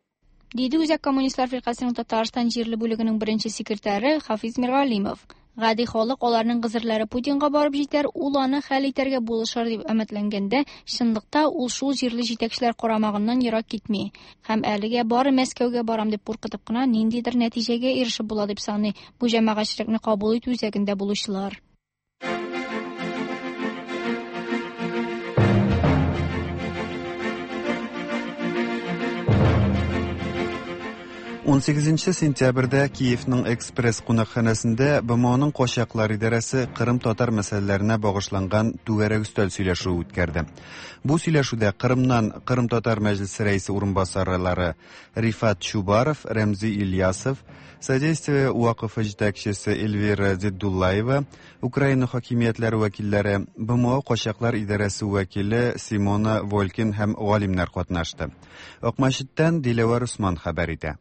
Диде Үзәк коммунистлар фиркасының Татарстан җирле бүлегенең беренче секретаре Хафиз Миргалимов. Гади халык аларның гозерләре Путинга барып җитәр, ул аны хәл итәргә булышыр дип өметләнгәндә, чынлыкта ул шул җирле җитәкчеләр карамагыннан ерак китми. Һәм әлегә бары Мәскәүгә барам дип куркытып кына ниндидер нәтиҗәгә ирешеп була дип саный бу җәмәгатьчелекне кабул итү үзәгендә булучылар. ун сигезенче сентябрьдә Киевның Экспресс кунакханәсендә Б М Оның качаклар идарәсе Кырым татар мәсьәләләренә багышланган түгәрәк өстәл сөйләшүе үткәрде. Бу сөйләшүдә Кырымнан Кырым татар мәҗлесе рәисе урынбасарлары Рифат Чубаров, Рәмзи Ильясов, Содействие вакыфы җитәкчесе Эльвира Зиддуллаева, Украина хакимиятләре вәкилләре, Б М О качаклар идарәсе вәкиле Симона Волкин һәм галимнәр катнашты. Акмәчеттән Диләвәр Усман хәбәр итә.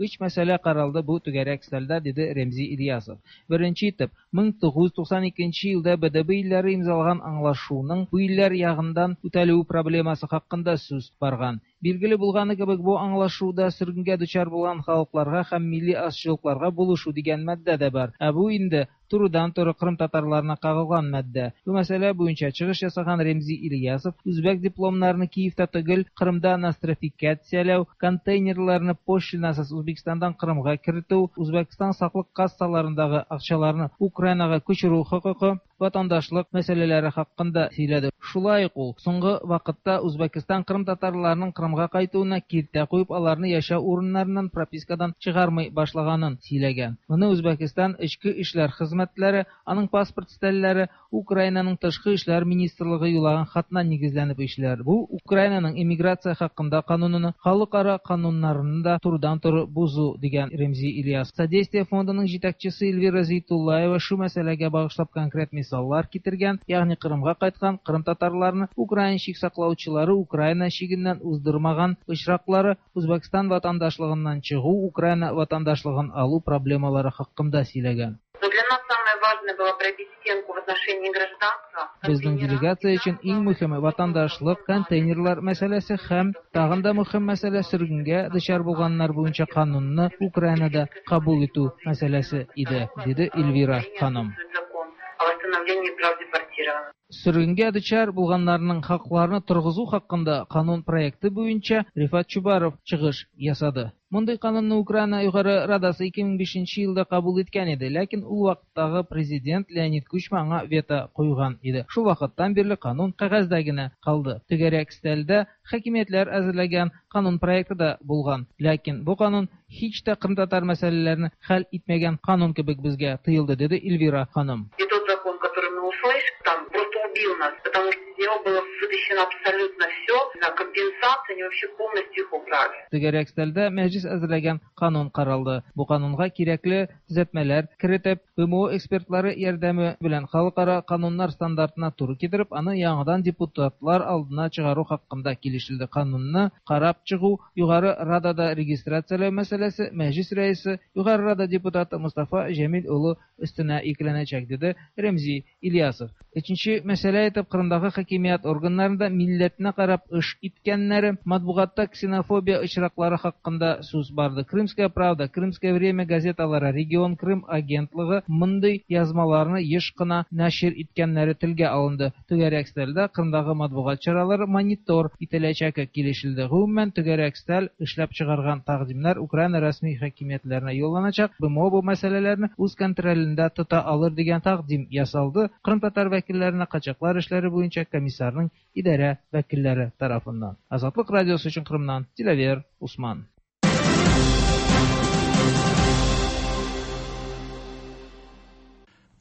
Üç məsələ qaraldı bu tügərək stəldə, dedi Remzi İlyasov. Birinci итеп, мең тугыз йөз туксан икенче елда Б Д Б илләре имзалаган аңлашуның бу илләр ягындан үтәлүе проблемасы хакында сүз барган. Билгеле булганы кебек, бу аңлашуда сөргенгә дучар булган халыкларга һәм милли азчылыкларга булышу дигән маддә дә бар. Ә бу инде турыдан-туры Кырым татарларына кагылган маддә. Бу мәсьәлә буенча чыгыш ясаган Ремзи Ильясов үзбәк дипломнарны Киевта түгел, Кырымда нострификацияләү, контейнерларны пошлинасыз Үзбәкстандан Кырымга кертү, Үзбәкстан саклык кассаларындагы акчаларны Украинага күчерү хокукы, ватандашлык мәсьәләләре хакында сөйләде. Шулай ук ул соңгы вакытта Үзбәкстан Кырым татарларының Кырымга кайтуына киртә куеп, аларны яшәү урыннарыннан пропискадан чыгармый башлаганын сөйләгән. Моны Үзбәкстан эчке эшләр хезмәтләре, аның паспорт стәлләре, Украинаның тышкы эшләр министрлыгы юлаган хатына нигезләнеп эшләр. Бу Украинаның иммиграция хакында канунын, халыкара кануннарын да турыдан-туры бозу дигән Ремзи Ильяс. Содействие фондының җитәкчесе Эльвира Зейтуллаева шу мәсьәләгә багышлап конкрет мисал Мисаллар китергән, ягъни Кырымга кайткан Кырым татарларны Украина чик саклаучылары Украина чигеннән уздырмаган очраклары, Үзбәкстан ватандашлыгыннан чыгу, Украина ватандашлыгын алу проблемалары хакында сөйләгән. Но для нас самое важное было пробить стенку в отношении гражданства. Безнең делегация өчен иң мөһиме ватандашлык, контейнерлар мәсьәләсе һәм тагын да мөһим мәсьәлә сөргенгә дучар булганнар буенча канунны Украинада кабул итү мәсьәләсе иде, диде Эльвира ханым. Закон о восстановлении прав депортированных. Сөргенгә дучар булганнарның хакларын торгызу хакында канун проекты буенча Рифат Чубаров чыгыш ясады. Мондый канунны Украина Югары Радасы ике мең бишенче елда кабул иткән иде, ләкин ул вакыттагы президент Леонид Кучма аңа вето куйган иде. Шул вакыттан бирле канун кәгазьдә генә калды. Түгәрәк өстәлдә хакимиятләр әзерләгән канун проекты да булган, ләкин бу канун һич тә кырымтатар мәсьәләләрен хәл итмәгән канун кебек безгә тоелды, диде Эльвира ханым. И тот закон, который мы услышали, там просто убил нас, потому что из него было вытащено абсолютно все, на компенсации они вообще полностью их убрали. Түгәрәк өстәлдә мәҗлис әзерләгән канун каралды. Бу канунга кирәкле төзәтмәләр кертеп, Б М О экспертлары ярдәме белән халыкара кануннар стандартына туры китереп, аны яңадан депутатлар алдына чыгару хакында килешелде. Канунны карап чыгу Югары Радада регистрацияләү мәсьәләсе мәҗлис рәисе Югары Рада депутаты Мустафа Җәмил улы өстенә йөкләнәчәк, диде Ремзи Ильясов. Өченче мәсьәлә итеп Кырымдагы хакимият органнарында милләтенә карап эш иткәннәре, матбугатта ксенофобия очраклары хакында сүз барды. Крымская правда, Крымское время газеталары, Регион Крым агентлыгы мондый язмаларны еш кына нәшир иткәннәре телгә алынды. Түгәрәк өстәлдә Кырымдагы матбугат чаралары монитор ителәчәге килешелде. Гомумән, түгәрәк өстәл эшләп чыгарган тәкъдимнәр Украина рәсми хакимиятләренә юлланачак. Б М О бу мәсьәләләрне үз контролендә тота алыр дигән тәкъдим ясалды. Кырым татар вәкилләренә качаклар эшләре буенча комиссарның идарә вәкилләре тарафыннан. Азатлык радиосы өчен Кырымнан Диләвер Усман.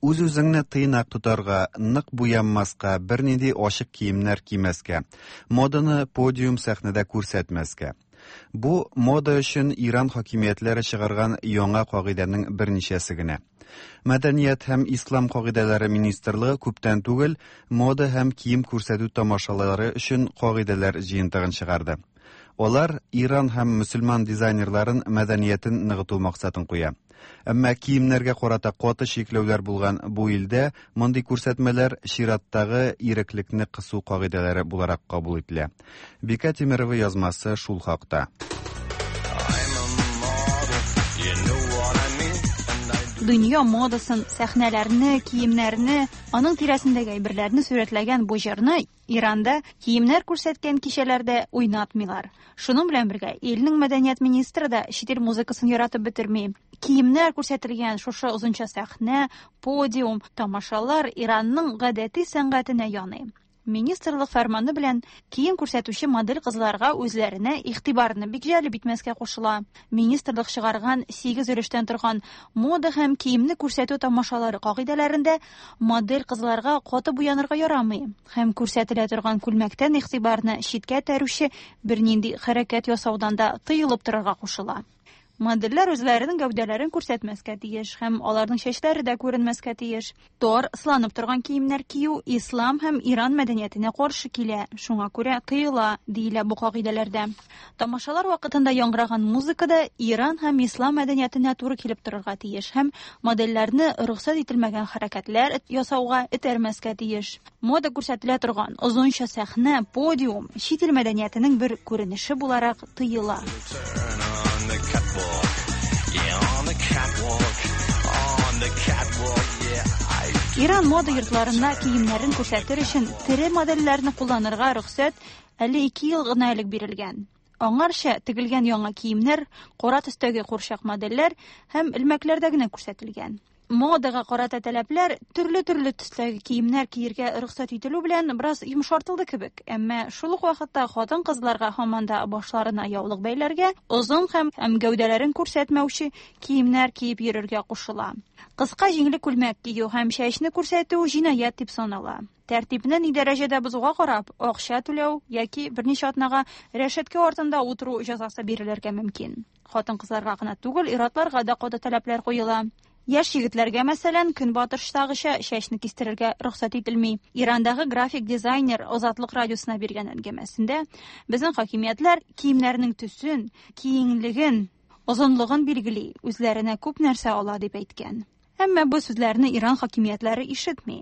Үз-үзеңне тыйнак тотарга, нык буянмаска, бернинди ачык киемнәр кимәскә, моданы подиум сәхнәдә күрсәтмәскә. Бу мода өчен Иран хакимиятләре чыгарган яңа кагыйдәнең берничәсе генә. Мәдәният һәм ислам кагыйдәләре министрлыгы күптән түгел мода һәм кием күрсәтү тамашалары өчен кагыйдәләр җыентыгын чыгарды. Алар Иран һәм мөселман дизайнерларын мәдәниятен ныгыту максатын куя. Әмма киемнәргә карата каты чикләүләр булган бу илдә мондый күрсәтмәләр чираттагы иреклекне кысу кагыйдәләре буларак кабул ителә. Бика Тимирова язмасы шул хакта. Дөнья модасын, сәхнәләрне, киемнәрне, аның тирәсендәге әйберләрне сурәтләгән бу җырны Иранда киемнәр күрсәткән кичәләрдә уйнатмыйлар. Шуның белән бергә илнең мәдәният министры да чит ил музыкасын яратып бетерми. Киемнәр күрсәтелгән шушы озынча сәхнә, подиум, тамашалар Иранның гадәти сәнгатенә яный. Министрлык фәрманы белән кием күрсәтүче модель кызларга үзләренә игътибарны бик җәлеп итмәскә кушыла. Министрлык чыгарган сигез өлештән торган мода һәм киемне күрсәтү тамашалары кагыйдәләрендә модель кызларга каты буянырга ярамый һәм күрсәтелә торган күлмәктән игътибарны читкә этәрүче бернинди хәрәкәт ясаудан да тыелып торырга кушыла. Модельләр үзләренең гәүдәләрен күрсәтмәскә тиеш һәм аларның чәчләре дә күренмәскә тиеш. Тар, сыланып торган киемнәр кию ислам һәм Иран мәдәниятенә каршы килә, шуңа күрә тыела, диелә бу кагыйдәләрдә. Тамашалар вакытында яңгыраган музыка да Иран һәм ислам мәдәниятенә туры килеп торырга тиеш һәм модельләрне рөхсәт ителмәгән хәрәкәтләр ясауга этәрмәскә тиеш. Мода күрсәтелә торган озынча сәхнә, подиум чит ил мәдәниятенең бер күренеше буларак тыела. Иран мода йортларында киемнәрен күрсәтер өчен тере модельләрне кулланырга рөхсәт әле ике ел гына элек бирелгән. Аңарча тегелгән яңа киемнәр, кара төстәге курчак модельләр һәм элмәкләрдә генә күрсәтелгән. Модага карата таләпләр төрле-төрле төстәге киемнәр киергә рөхсәт ителү белән бераз йомшартылды кебек, әмма шул ук вакытта хатын-кызларга һаман да башларына яулык бәйләргә, озын һәм һәм гәүдәләрен күрсәтмәүче киемнәр киеп йөрергә кушыла. Кыска җиңле күлмәк кию һәм чәчне күрсәтү җинаять дип санала. Тәртипне ни дәрәҗәдә бозуга карап, акча түләү яки берничә атнага рәшәткә артында утыру җәзасы бирелергә мөмкин. Хатын-кызларга гына түгел, ир-атларга да каты таләпләр куела. Яшь егетләргә, мәсәлән, көнбатыштагыча чәчне кистерергә рөхсәт ителми. Ирандагы график дизайнер Азатлык радиосына биргән әңгәмәсендә безнең хакимиятләр киемнәрнең төсен, киңлеген, озынлыгын билгели, үзләренә күп нәрсә ала дип әйткән. Әмма бу сүзләрне Иран хакимиятләре ишетми.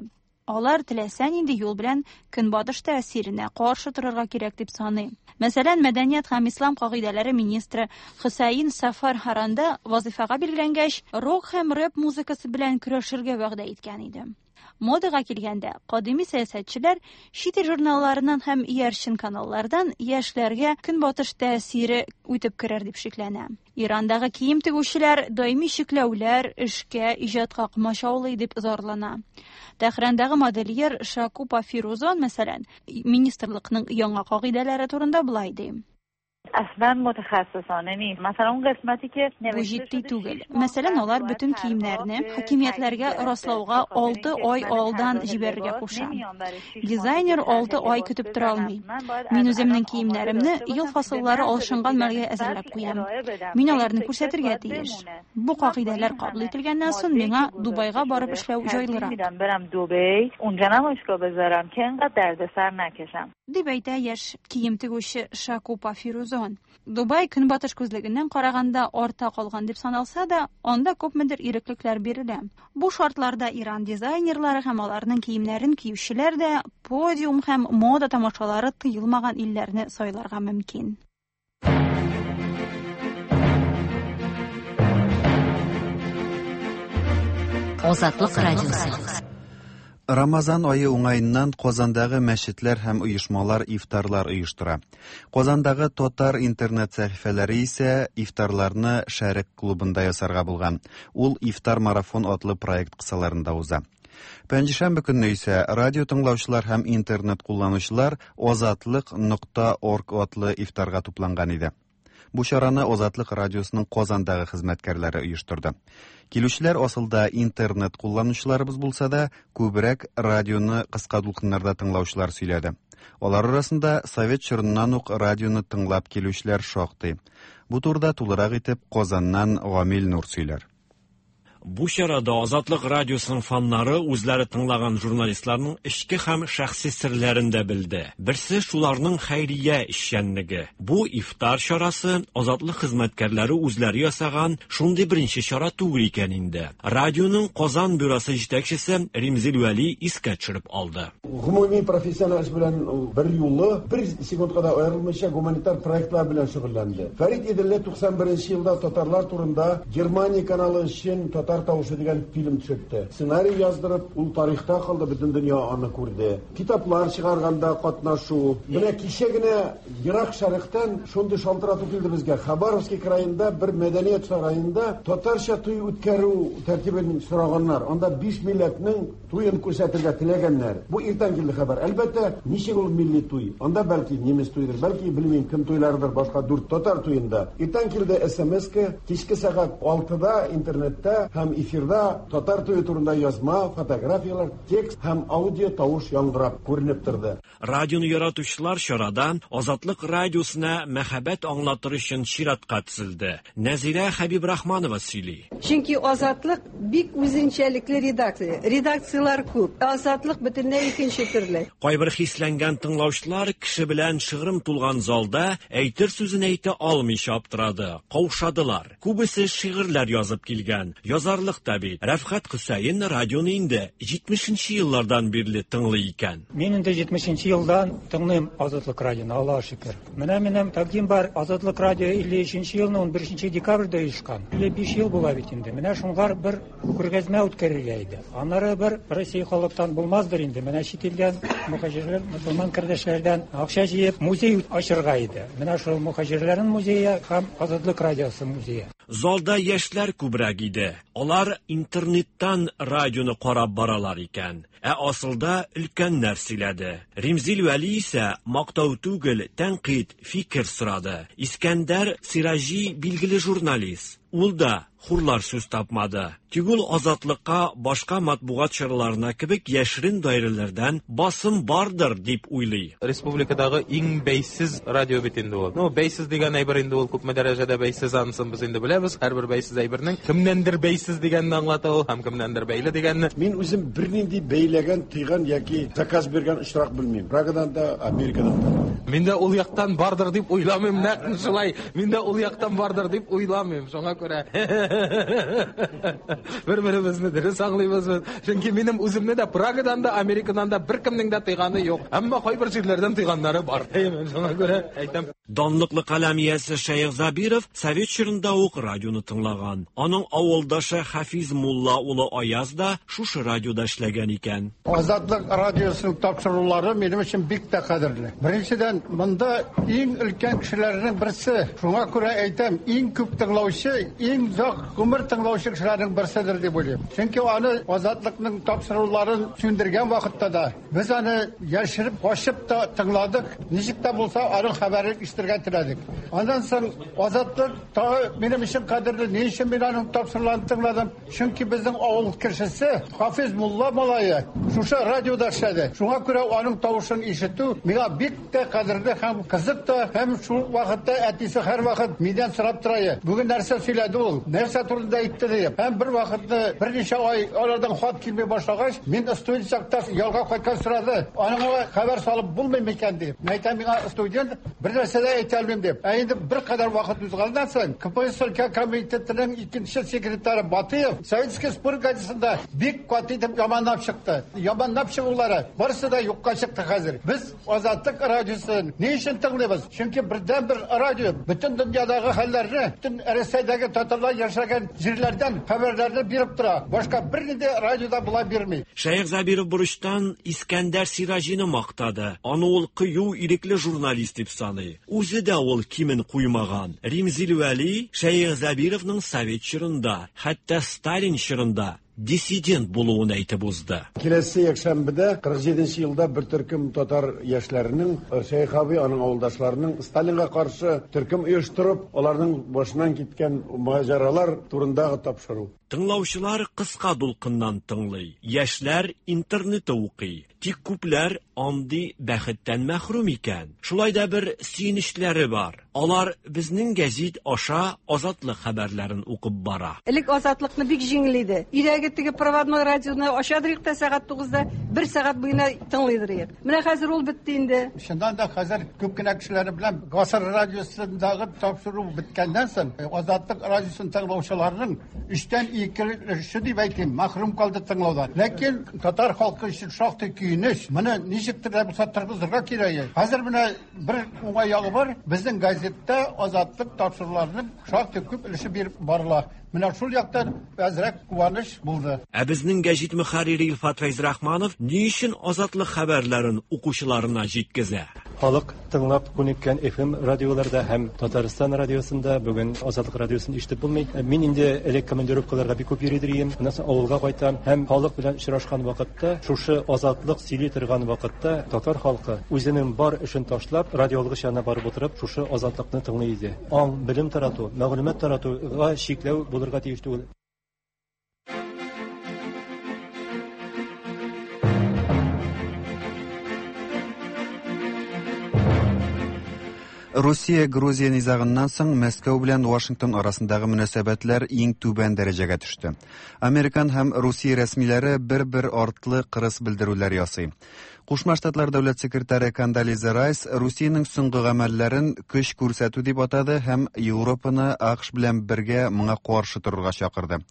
Алар теләсә нинди юл белән көнбатыш тәэсиренә каршы торырга кирәк дип саный. Мәсәлән, мәдәният һәм ислам кагыйдәләре министры Хөсәен Сафар Харанда вазифага билгеләнгәч, рок һәм рэп музыкасы белән көрәшергә вәгъдә иткән иде. Модага килгәндә, кадими сәясәтчеләр чит ил журналларыннан һәм иярчен каналлардан яшьләргә көнбатыш тәэсире үтеп керер дип шикләнә. Ирандагы кием тегүчеләр даими чикләүләр, эшкә, иҗатка комачаулый дип зарлана. Тәһрандагы модельер Шакупа Фирузон, мәсәлән, министрлыкның яңа кагыйдәләре турында болай ди. اصلا متخصصانه نیست. مثلا اون قسمتی که Бу җитди түгел. Мәсәлән, алар бөтен киемнәрне хакимиятләргә раслауга алты ай алдан җибәрергә куша. Дизайнер алты ай көтеп тора алмый. Мин үземнең киемнәремне ел фасыллары алышынган мәлгә әзерләп куям. Мин аларны күрсәтергә тиеш. Бу кагыйдәләр кабул ителгәннән соң миңа Дубайга барып эшләү җайлырак. میدم برم دبی اونجا نمایشگاه بذارم که انقدر دردسر نکشم. Дип әйтә яшь кием тегүче Шакупа Фирузон. Дубай көнбатыш күзлегеннән караганда арта калган дип саналса да, анда күпмедер иреклекләр бирелә. Бу шартларда Иран дизайнерлары һәм аларның киемнәрен киючеләр дә подиум һәм мода тамашалары тыелмаган илләрне сайларга мөмкин. Азатлык радиосы. Рамазан айы уңаеннан Казандагы мәчетләр һәм оешмалар ифтарлар оештыра. Казандагы татар интернет сәхифәләре исә ифтарларны Шәрык клубында ясарга булган. Ул Ифтар марафон атлы проект кысаларында уза. Пәнҗешәмбе көнне исә радио тыңлаучылар һәм интернет кулланучылар Азатлык нокта орг атлы ифтарга тупланган иде. Бу чараны Азатлык радиосының Казандагы хезмәткәрләре оештырды. Килүчеләр асылда интернет кулланучыларыбыз булса да, күбрәк радионы кыска дулкыннарда тыңлаучылар сөйләде. Алар арасында совет чорыннан ук радионы тыңлап килүчеләр шактый. Бу турыда тулырак итеп Казаннан Гамил Нур сөйләр. Бу чарада Азатлык радиосының фаннары үзләре тыңлаган журналистларның эчке һәм шәхси серләрен дә белде. Берсе шуларның хәйрия эшчәнлеге. Бу ифтар чарасы Азатлык хезмәткәрләре үзләре ясаган шундый беренче чара түгел икән инде. Радионың Казан бюросы җитәкчесе Римзил Вәли искә төшереп алды. Гомуми профессиональ эш белән бер юлы бер секундка да аерылмыйча гуманитар проектлар белән шөгыльләнде. Фәрит Иделле туксан беренче елда татарлар турында Германия каналы өчен Татар тавышы дигән фильм төшертте. Сценарий яздырып, ул тарихта калды, бөтен дөнья аны күрде. Китаплар чыгарганда катнашу. Менә кичә генә Ерак Шәрыктан шундый шалтырату килде безгә. Хабаровский краенда бер мәдәният сараенда татарча туй үткәрү тәртибен сораганнар. Анда биш милләтнең туен күрсәтергә теләгәннәр. Бу иртән килде хәбәр. Әлбәттә, ничек ул милли туй? Анда бәлки немец туйдыр, бәлки белмим кем туйларыдыр, башка дүрт татар туенда. Иртән килде СМС-ка, кичке сәгать алтыда интернетта һәм эфирда татар туе турында язма, фотографияләр, текст һәм аудио тавыш яңгырап күренеп торды. Радионы яратучылар чарада Азатлык радиосына мәхәббәт аңлатыр өчен чиратка тезелде. Нәзирә Хәбибрахманова сөйли. Чөнки Азатлык бик үзенчәлекле редакция. Редакцияләр күп. Азатлык бөтенләй икенче төрле. Кайбер хисләнгән тыңлаучылар кеше белән шыгрым тулган залда әйтер сүзен әйтә алмыйча аптырады, каушадылар. Күбесе шигырьләр язып килгән. Язарлык та бит. Рәфхәт Хөсәен радионы инде җитмешенче еллардан бирле тыңлый икән. Мин инде җитмешенче елдан тыңлыйм Азатлык радионы, Аллаһ шөкер. Менә минем тәкъдим бар. Азатлык радио илле өченче елны унберенче декабрьдә оешкан. илле биш ел була бит инде. Менә шуңар бер күргәзмә үткәрергә иде. Аннары бер Россия халыктан булмаздыр инде. Менә чит илдән мөхаҗирләр, мөселман кардәшләрдән акча җыеп музей ачырга иде. Менә шул мөхаҗирләрнең музее һәм Азатлык радиосы музее. Залда яшьләр күбрәк иде. Алар интернеттан радионы карап баралар икән. Ә асылда өлкәннәр сөйләде. Римзил Вәли исә мактау түгел, тәнкыйть, фикер сорады. Искәндәр Сираҗи билгеле журналист. Ул да хурлар сүз тапмады. Тик ул Азатлыкка башка матбугат чараларына кебек яшерен даирәләрдән басым бардыр дип уйлый. Республикадагы иң бәйсез радио бит инде ул. Ну, бәйсез дигән әйбер инде ул күпме дәрәҗәдә бәйсез, анысын без инде беләбез. Һәрбер бәйсез әйбернең кемнәндер бәйсез дигәнне аңлата ул һәм кемнәндер бәйле дигәнне. Мин үзем бернинди бәйләгән, тыйган яки заказ биргән очрак белмим. Прагадан да, Америкадан да. Мин дә ул яктан бардыр дип уйламыйм, нәкъ шулай. Мин дә ул яктан бардыр дип уйламыйм. Шуңа күрә бер-беребезне дөрес аңлыйбыз без. Чөнки минем үземне дә Прагадан да, Америкадан да беркемнең дә тыйганы юк. Әмма кайбер җирләрдән тыйганнары бар. Шуңа күрә әйтәм. Данлыклы каләм иясе Шәех Забиров совет чорында ук радионы тыңлаган. Аның авылдашы Хафиз мулла улы Аяз да шушы радиода эшләгән икән. Азатлык радиосының тапшырулары минем өчен бик тә кадерле. Беренчедән, монда иң өлкән кешеләрнең берсе. Шуңа күрә әйтәм, иң күп тыңлаучы, иң озак гомер тыңлаучы кешеләрнең берседер дип уйлыйм. Чөнки аны Азатлыкның тапшыруларын сүндергән вакытта да без аны яшереп, качып та тыңладык. Ничек тә булса аның хәбәрен ишетергә теләдек. Аннан соң Азатлык тагы минем өчен кадерле. Ни өчен мин аның тапшыруларын тыңладым? Чөнки безнең авыл кешесе Хафиз мулла малае шушы радиода эшләде. Шуңа күрә аның тавышын ишетү миңа бик тә кадерле һәм кызык та, һәм шул вакытта әтисе һәрвакыт миннән сорап тора. Бүген нәрсә сөйләде ул? Нәрсә турында әйтте дип. Һәм бер вакытны берничә ай алардан хат килми башлагач, мин студент чакта ялга кайткан сорады. Аныңа хәбәр салып булмый микән дип. Мин әйтәм, миңа студент бер нәрсә дә әйтә алмыйм дип. Ә инде бер кадәр вакыт узганнан соң К П С С комитетының икенче секретаре Батыев Советский спорт газетасында бик каты итеп яманлап чыкты. Яманлап чыгулары барысы да юкка чыкты хәзер. Без Азатлык радиосын ни өчен тыңлыйбыз? Чөнки бердән-бер радио бөтен дөньядагы хәлләрне, бөтен Рәсәйдәге татарлар яшәгән җирләрдән хәбәрләрне биреп тора. Башка бернинди радиода була бирми. Шәех Забиров бурычтан Искәндәр Сираҗины мактады. Аны ул кыю, ирекле журналист дип саный. Үзе дә ул кимен куймаган. Римзил Вәли Шәех Забировның совет чорында, хәтта Сталин чорында диссидент булуын әйтеп узды. Киләсе якшәмбедә кырык җиденче елда бер төркем татар яшьләренең, Шәех абый, аның авылдашларының Сталинга каршы төркем оештырып, аларның башыннан киткән маҗаралар турындагы тапшыру. Тыңлаучылар кыска дулкыннан тыңлый, яшьләр интернетта укый. Тик күпләр андый бәхеттән мәхрүм икән. Шулай да бер сөенечләре бар. Алар безнең гәзит аша Азатлык хәбәрләрен укып бара. Элек Азатлыкны бик җиңел иде. Өйдәге теге проводной радионы ачадырык та сәгать тугызда бер сәгать буена тыңлыйдырык. Менә хәзер ул бетте инде. Чыннан да хәзер күп кенә кешеләр белән Гасыр радиосындагы тапшыру беткәннән соң Азатлык радиосын тыңлаучыларның өчтән ике өлеше дип әйтим, мәхрүм калды тыңлаудан. Ләкин татар халкы өчен шактый көенеч. Моны ничектер дә булса торгызырга кирәк. Хәзер менә бер уңай ягы бар. Безнең газетта Азатлык тапшыруларының шактый күп өлеше биреп барыла. Менә шул яктан әзрәк куаныч булды. Ә безнең гәзит мөхәррире Илфат Фәйзрахманов ни өчен Азатлык хәбәрләрен укучыларына җиткезә? Халык тыңлап күнеккән F M радиоларда һәм Татарстан радиосында бүген Азатлык радиосын ишетеп булмый. Мин инде элек командировкаларга бик күп йөри идем. Аннан соң авылга кайтам һәм халык белән очрашкан вакытта, шушы Азатлык сөйли торган вакытта татар халкы үзенең бар эшен ташлап, радиолгыч янына барып утырып, шушы Азатлыкны тыңлый иде. Аң, белем тарату, мәгълүмат таратуга чикләү булырга тиеш түгел. Русия-Грузия низагыннан соң Мәскәү белән Вашингтон арасындагы мөнәсәбәтләр иң түбән дәрәҗәгә төште. Американ һәм Русия рәсмиләре бер-бер артлы кырыс белдерүләр ясый. Кушма Штатлар дәүләт секретаре Кондолиза Райс Русиянең соңгы гамәлләрен көч күрсәтү дип атады һәм Европаны А К Ш белән бергә моңа каршы торырга чакырды.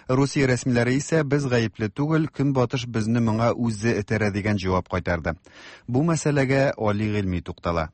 Русия рәсмиләре исә без гаепле түгел, Көнбатыш безне моңа үзе этәрә дигән җавап кайтарды. Бу мәсьәләгә Али Гыйльми туктала.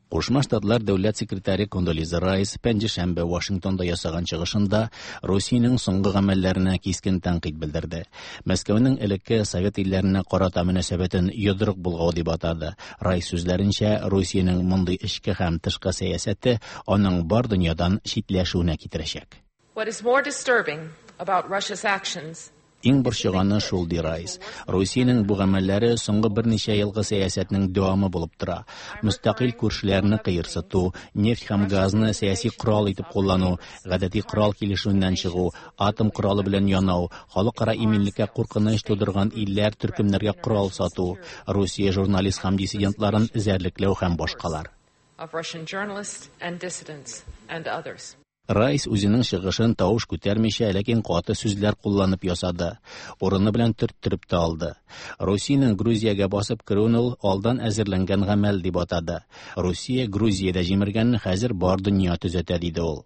Кушма Штатлар дәүләт секретаре Кондолиза Райс пәнҗешәмбе Вашингтонда ясаган чыгышында Русиянең соңгы гамәлләренә кискен тәнкыйть белдерде. Мәскәүнең элекке совет илләренә карата мөнәсәбәтен йодрык булгау дип атады. Райс сүзләренчә, Русиянең мондый эчке һәм тышкы сәясәте аның бар дөньядан читләшүенә китерәчәк. What is more disturbing about Russia's actions Иң борчыганы шул, ди Райс. Русиянең бу гамәлләре соңгы берничә елгы сәясәтнең дәвамы булып тора. Мөстәкыйль күршеләрне кыерсыту, нефть һәм газны сәяси корал итеп куллану, гадәти корал килешүеннән чыгу, атом коралы белән янау, халыкара иминлеккә куркыныч тудырган илләр төркемнәргә корал сату, Русия журналист һәм диссидентларын эзәрлекләү һәм башкалар. Of Russian journalists and dissidents and others. Райс үзенең чыгышын тавыш күтәрмичә, ләкин каты сүзләр кулланып ясады. Урыны белән төрттереп тә алды. Русиянең Грузиягә басып керүен ул алдан әзерләнгән гамәл дип атады. Русия Грузиядә җимергәнне хәзер бар дөнья төзәтә, диде ул.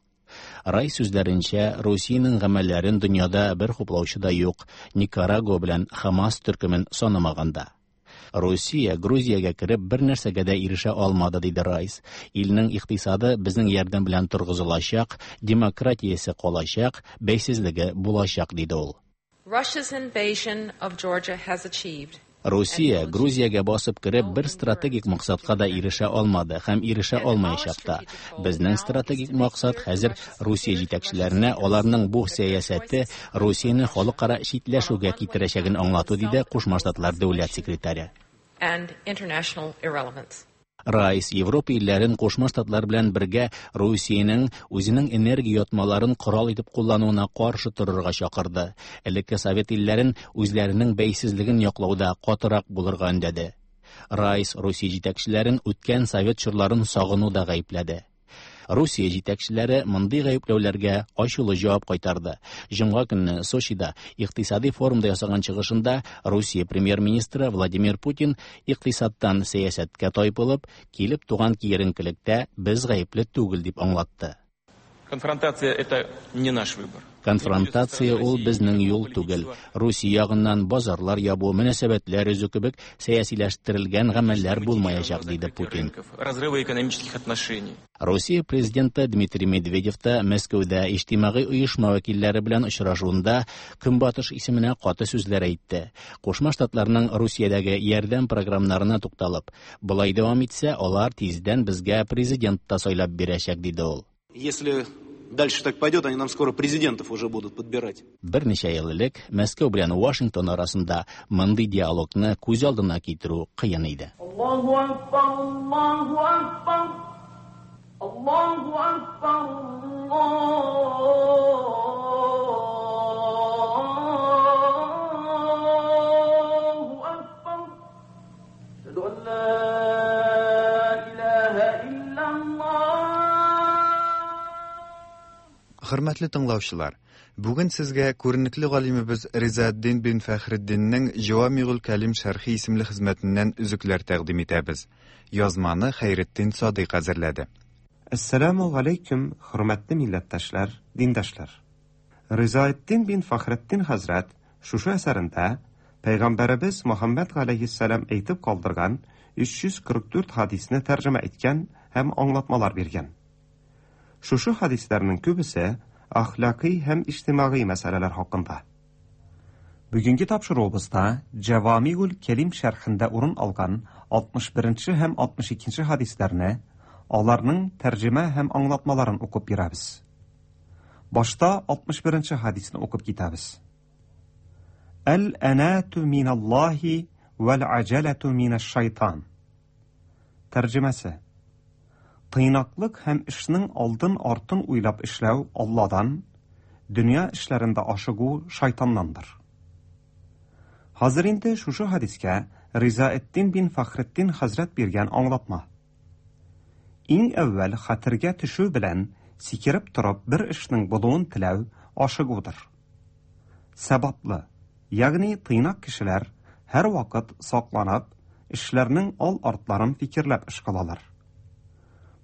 Райс сүзләренчә, Русиянең гамәлләрен дөньяда бер хуплаучы да юк, Никарагуа белән Хамас төркемен санамаганда. Русия Грузиягә кереп бер нәрсәгә дә ирешә алмады, диде Райс. Илнең икътисады безнең ярдәм белән торгызылачак, демократиясе калачак, бәйсезлеге булачак, диде ул. Russia's invasion of Georgia has achieved Русия Грузиягә басып кереп бер стратегик максатка да ирешә алмады һәм ирешә алмаячак та. Безнең стратегик максат хәзер Русия җитәкчеләренә аларның бу сәясәте Русияне халыкара читләшүгә китерәчәген аңлату, диде Кушма Штатлар дәүләт секретаре. and international irrelevance. Райс Европа илләрен Кушма Штатлар белән бергә Русиянең үзенең энергия ятмаларын корал итеп куллануына каршы торырга чакырды. Элекке совет илләрен үзләренең бәйсезлеген яклауда катырак булырга өндәде. Райс Русия җитәкчеләрен үткән совет чорларын сагынуда гаепләде. Русия җитәкчеләре мондый гаепләүләргә ачулы җавап кайтарды. Җомга көнне Сочида икътисади форумда ясаган чыгышында Русия премьер-министры Владимир Путин икътисадтан сәясәткә тайпылып, килеп туган киеренкелектә без гаепле түгел дип аңлатты. Конфронтация это не наш выбор. Конфронтация ул безнең юл түгел. Русия ягыннан базарлар ябу, мөнәсәбәтләр өзү кебек сәясиләштерелгән гамәлләр булмаячак, диде Путин. Разрыва экономических отношений. Русия президенты Дмитрий Медведев та Мәскәүдә иҗтимагый оешма вәкилләре белән очрашуында Көнбатыш исеменә каты сүзләр әйтте. Кушма Штатларның Русиядәге ярдәм программаларына тукталып, болай дәвам итсә, алар тиздән безгә президент та сайлап бирәчәк, диде ул. Если дальше так пойдет, они нам скоро президентов уже будут подбирать. Берничә ел элек Мәскәү белән Вашингтон арасында мондый диалогны күз алдына китерү кыен иде. Аллаһу акбар, Аллаһу акбар, Аллаһу акбар, Аллаһу акбар. Ашһаду ан ла илаһа иллаллаһ. Хөрмәтле тыңлаучылар, бүген сезгә күренекле галимебез Ризаэддин бин Фәхретдиннең Җавамигул Кәлим шәрхи исемле хезмәтеннән өзекләр тәкъдим итәбез. Язманы Хәйретдин Садыйк әзерләде. Әссәламу алейкум, хөрмәтле милләттәшләр, диндашлар. Ризаэддин бин Фәхретдин хәзрәт шушы әсәрендә Пәйгамбәребез Мөхәммәд галәйһиссәлам әйтеп калдырган өч йөз кырык дүрт хадисне тәрҗемә иткән һәм аңлатмалар биргән. Шушы хадисләрнең күбесе әхлакый һәм иҗтимагый мәсьәләләр хакында. Бүгенге тапшыруыбызда Җавамигул Кәлим шәрхендә урын алган алтмыш беренче һәм алтмыш икенче хадисләрне, аларның тәрҗемә һәм аңлатмаларын укып бирәбез. Башта алтмыш беренче хадисне укып китәбез. Әл-анату миналлаһи вәл-аҗалату минаш-шайтан. Тәрҗемәсе: Тыйнаклык һәм эшнең алдын-артын уйлап эшләү Алладан, дөнья эшләрендә ашыгу шайтаннандыр. Хәзер инде шушы хадискә Ризаэддин бин Фәхретдин хәзрәт биргән аңлатма. Иң әүвәл хәтергә төшү белән сикереп торып бер эшнең булуын теләү ашыгудыр. Сәбаплы, ягъни тыйнак кешеләр һәр вакыт сакланып, эшләрнең ал-артларын фикерләп эш кылалар.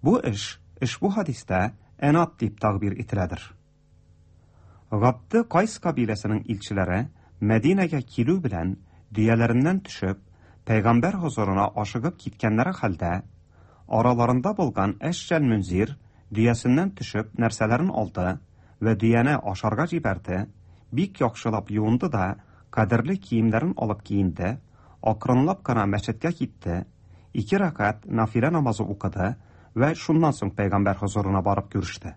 Бу эш, ошбу хадистә әнат дип тәгъбир ителәдер. Габды Кайс кабиләсенең илчеләре Мәдинәгә килү белән дөяләреннән төшеп, пәйгамбәр хозурына ашыгып киткәннәре хәлдә, араларында булган Әшҗәл Мөнзир дөясеннән төшеп нәрсәләрен алды вә дөяне ашарга җибәрде, бик яхшылап юынды да, кадерле киемнәрен алып киенде, акрынлап кына мәчеткә китте, ике рәкәт нафилә намазы укыды вә шуннан соң пәйгамбәр хозурына барып күреште.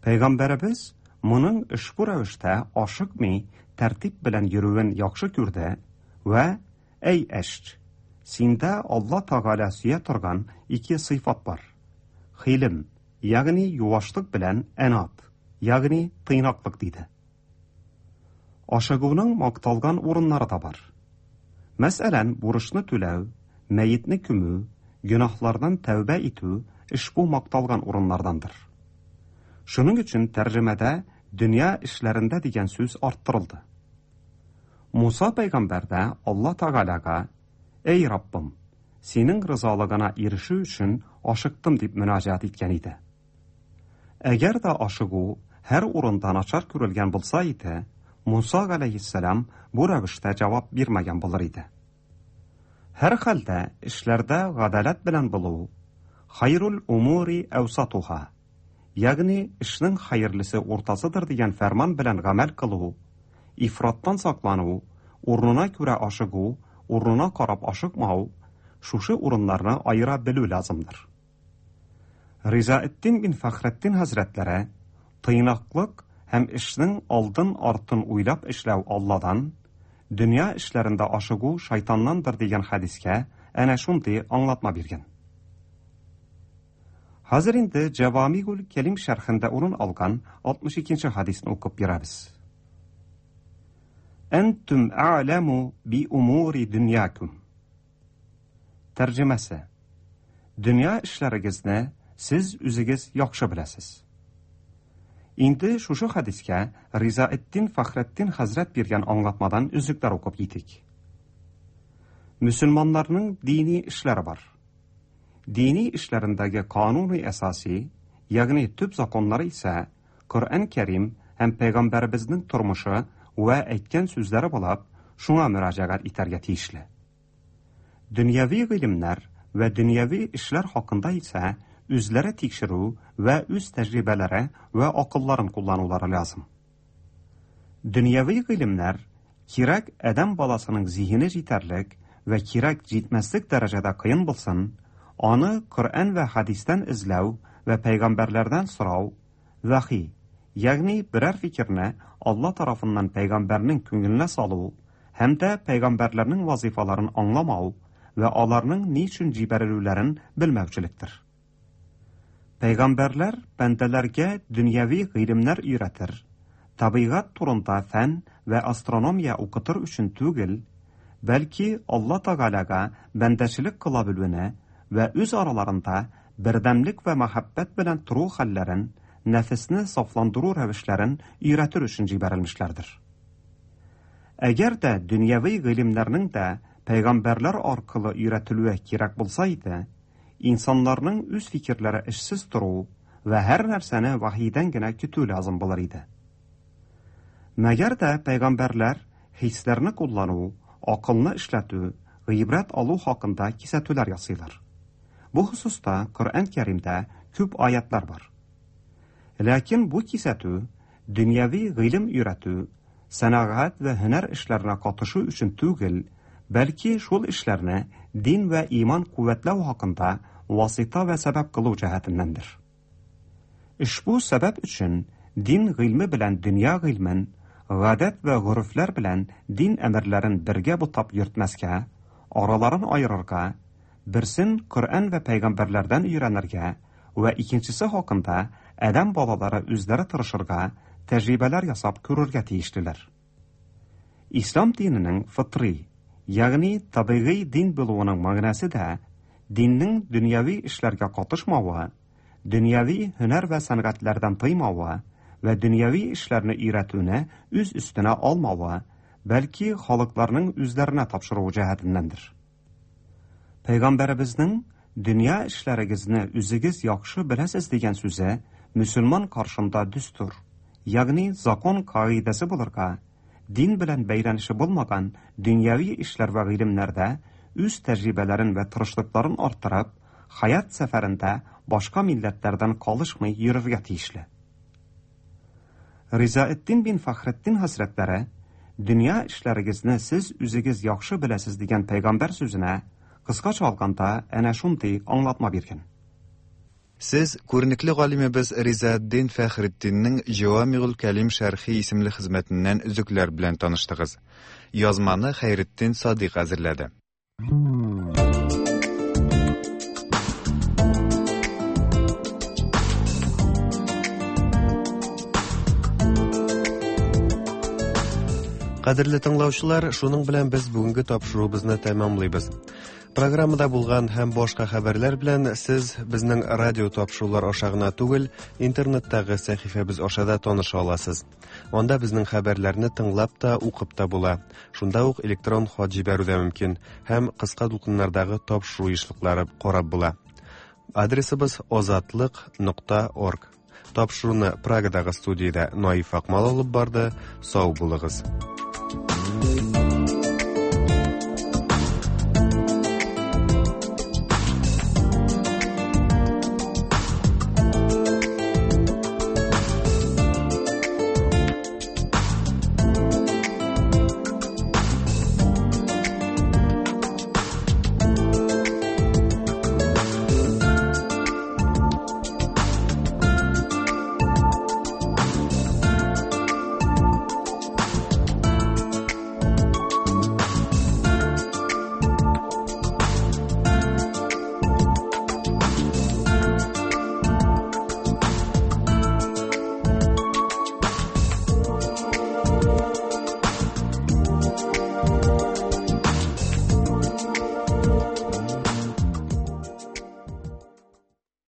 Пәйгамбәребез моның ошбу рәвештә ашыкмый, тәртип белән йөрүен яхшы күрде вә: "Әй Әшч, синдә Алла Тәгалә сөя торган ике сыйфат бар: хилм, ягъни юашлык белән әнат, ягъни тыйнаклык", диде. Ашыгуның макталган урыннары да бар. Мәсәлән, бурычны түләү, мәетне күмү, гөнаһлардан тәүбә итү ошбу макталган урыннардандыр. Шуның өчен тәрҗемәдә дөнья эшләрендә дигән сүз арттырылды. Муса пәйгамбәр дә Алла Тәгаләгә: "Эй Раббым, синең ризалыгына ирешү өчен ашыктым", дип мөнәҗәт иткән иде. Әгәр дә ашыгу һәр урында начар күрелгән булса иде, Муса галәйһиссәлам бу рәвештә җавап бирмәгән булыр иде. Һәр хәлдә эшләрдә гадаләт белән булу, хайрул умури әүсатуха, ягъни эшнең хәерлесе уртасыдыр дигән фәрман белән гамәл кылу, ифраттан саклану, урынына күрә ашыгу, урынына карап ашыкмау, шушы урыннарны аера белү лазымдыр. Ризаэддин бин Фәхретдин хәзрәтләре тыйнаклык һәм эшнең алдын-артын уйлап эшләү Алладан, дөнья эшләрендә ашыгу шайтаннандыр дигән хәдискә әнә шундый аңлатма биргән. Хәзер инде Җавамигул Кәлим шәрхендә урын алган алтмыш икенче хәдисне укып бирәбез. Әнтум а'ламу би умури дөньякум. Тәрҗемәсе: Дөнья эшләрегезне сез үзегез яхшы беләсез. Инде шушы хәдискә Ризаэддин Фәхретдин хәзрәт биргән аңлатмадан өзекләр укып китик. Мөселманнарның дини эшләре бар. Дини эшләрендәге кануни әсаси, ягъни төп законнары исә Коръән Кәрим һәм пәйгамбәребезнең тормышы вә әйткән сүзләре булып, шуңа мөрәҗәгать итәргә тиешле. Дөньяви гыйлемнәр вә дөньяви эшләр хакында исә үзләре тикшерү вә үз тәҗрибәләре вә акылларын кулланулары лазым. Дөньяви гыйлемнәр кирәк адәм баласының зиһене җитәрлек вә кирәк җитмәслек дәрәҗәдә кыен булсын, аны Коръән вә хәдистән эзләү вә пәйгамбәрләрдән сорау, вәхи, ягъни берәр фикерне Алла тарафыннан пәйгамбәрнең күңеленә салу һәм дә пәйгамбәрләрнең вазифаларын аңламау вә аларның ни өчен җибәрелүләрен белмәүчелектер. Пәйгамбәрләр бәндәләргә дөньяви гыйлемнәр өйрәтер, табигать турында фән вә астрономия укытыр өчен түгел, бәлки Алла Тәгаләгә бәндәчелек кыла белүне вә үз араларында бердәмлек вә мәхәббәт белән тору хәлләрен, нәфесне сафландыру рәвешләрен өйрәтер өчен җибәрелмешләрдер. Әгәр дә дөньяви гыйлемнәрнең дә пәйгамбәрләр аркылы өйрәтелүе кирәк булса иде, инсаннарның үз фикерләре эшсез тору вә һәр нәрсәне вахидән генә көтү лазым булыр иде. Мәгәр дә пәйгамбәрләр хисләрне куллану, акылны эшләтү, гыйбрәт алу хакында кисәтүләр ясыйлар. Бу хосуста Коръән Кәримдә күп аятлар бар. Ләкин бу кисәтү дөньяви гыйлем өйрәтү, сәнәгать вә һөнәр эшләренә катышу өчен түгел, бәлки шул эшләрне дин вә иман куәтләү хакында васита вә сәбәп кылу җәһәтеннәндер. Ошбу сәбәп өчен дин гыйльме белән дөнья гыйльмен, гадәт вә горефләр белән дин әмерләрен бергә бутап йөртмәскә, араларын аерырга, берсен Коръән вә пәйгамбәрләрдән өйрәнергә вә икенчесе хакында адәм балалары үзләре тырышырга, тәҗрибәләр ясап күрергә тиешлеләр. Ислам диненең фытри, ягъни табигый дин булуының мәгънәсе дә диннең дөньяви эшләргә катышмавы, дөньяви һөнәр вә сәнгатьләрдән тыймавы вә дөньяви эшләрне өйрәтүне үз өстенә алмавы, бәлки халыкларның үзләренә тапшыруы җәһәтеннәндер. Пәйгамбәребезнең дөнья эшләрегезне үзегез яхшы беләсез дигән сүзе мөселман каршында дөстур, ягъни закон кагыйдәсе булырга, дин белән бәйләнеше булмаган дөньяви эшләр вә гыйлемнәрдә үз тәҗрибәләрен вә тырышлыкларын арттырып, хаят сәфәрендә башка милләтләрдән калышмый йөрергә тиешле. Ризаэддин бин Фәхретдин хәзрәтләре дөнья эшләрегезне сез үзегез яхшы беләсез дигән пәйгамбәр сүзенә кыскача алганда әнә шундый аңлатма биргән. Сез күренекле галимебез Ризаэддин Фәхретдиннең Җавамигул Кәлим шәрхи исемле хезмәтеннән өзекләр белән таныштыгыз. Язманы Хәйретдин Садыйк әзерләде. Кадерле тыңлаучылар, шуның белән без бүгенге тапшыруыбызны тәмамлыйбыз. Программада булган һәм башка хәбәрләр белән сез безнең радио тапшырулар аша гына түгел, интернеттагы сәхифәбез аша да таныша аласыз. Анда безнең хәбәрләрне тыңлап та, укып та була. Шунда ук электрон хат җибәрү дә мөмкин һәм кыска дулкыннардагы тапшыру ешлыклары карап була. Адресыбыз озатлык нокта орг. Тапшыруны Прагадагы студиядә Наиф Акмал алып барды. Сау булыгыз.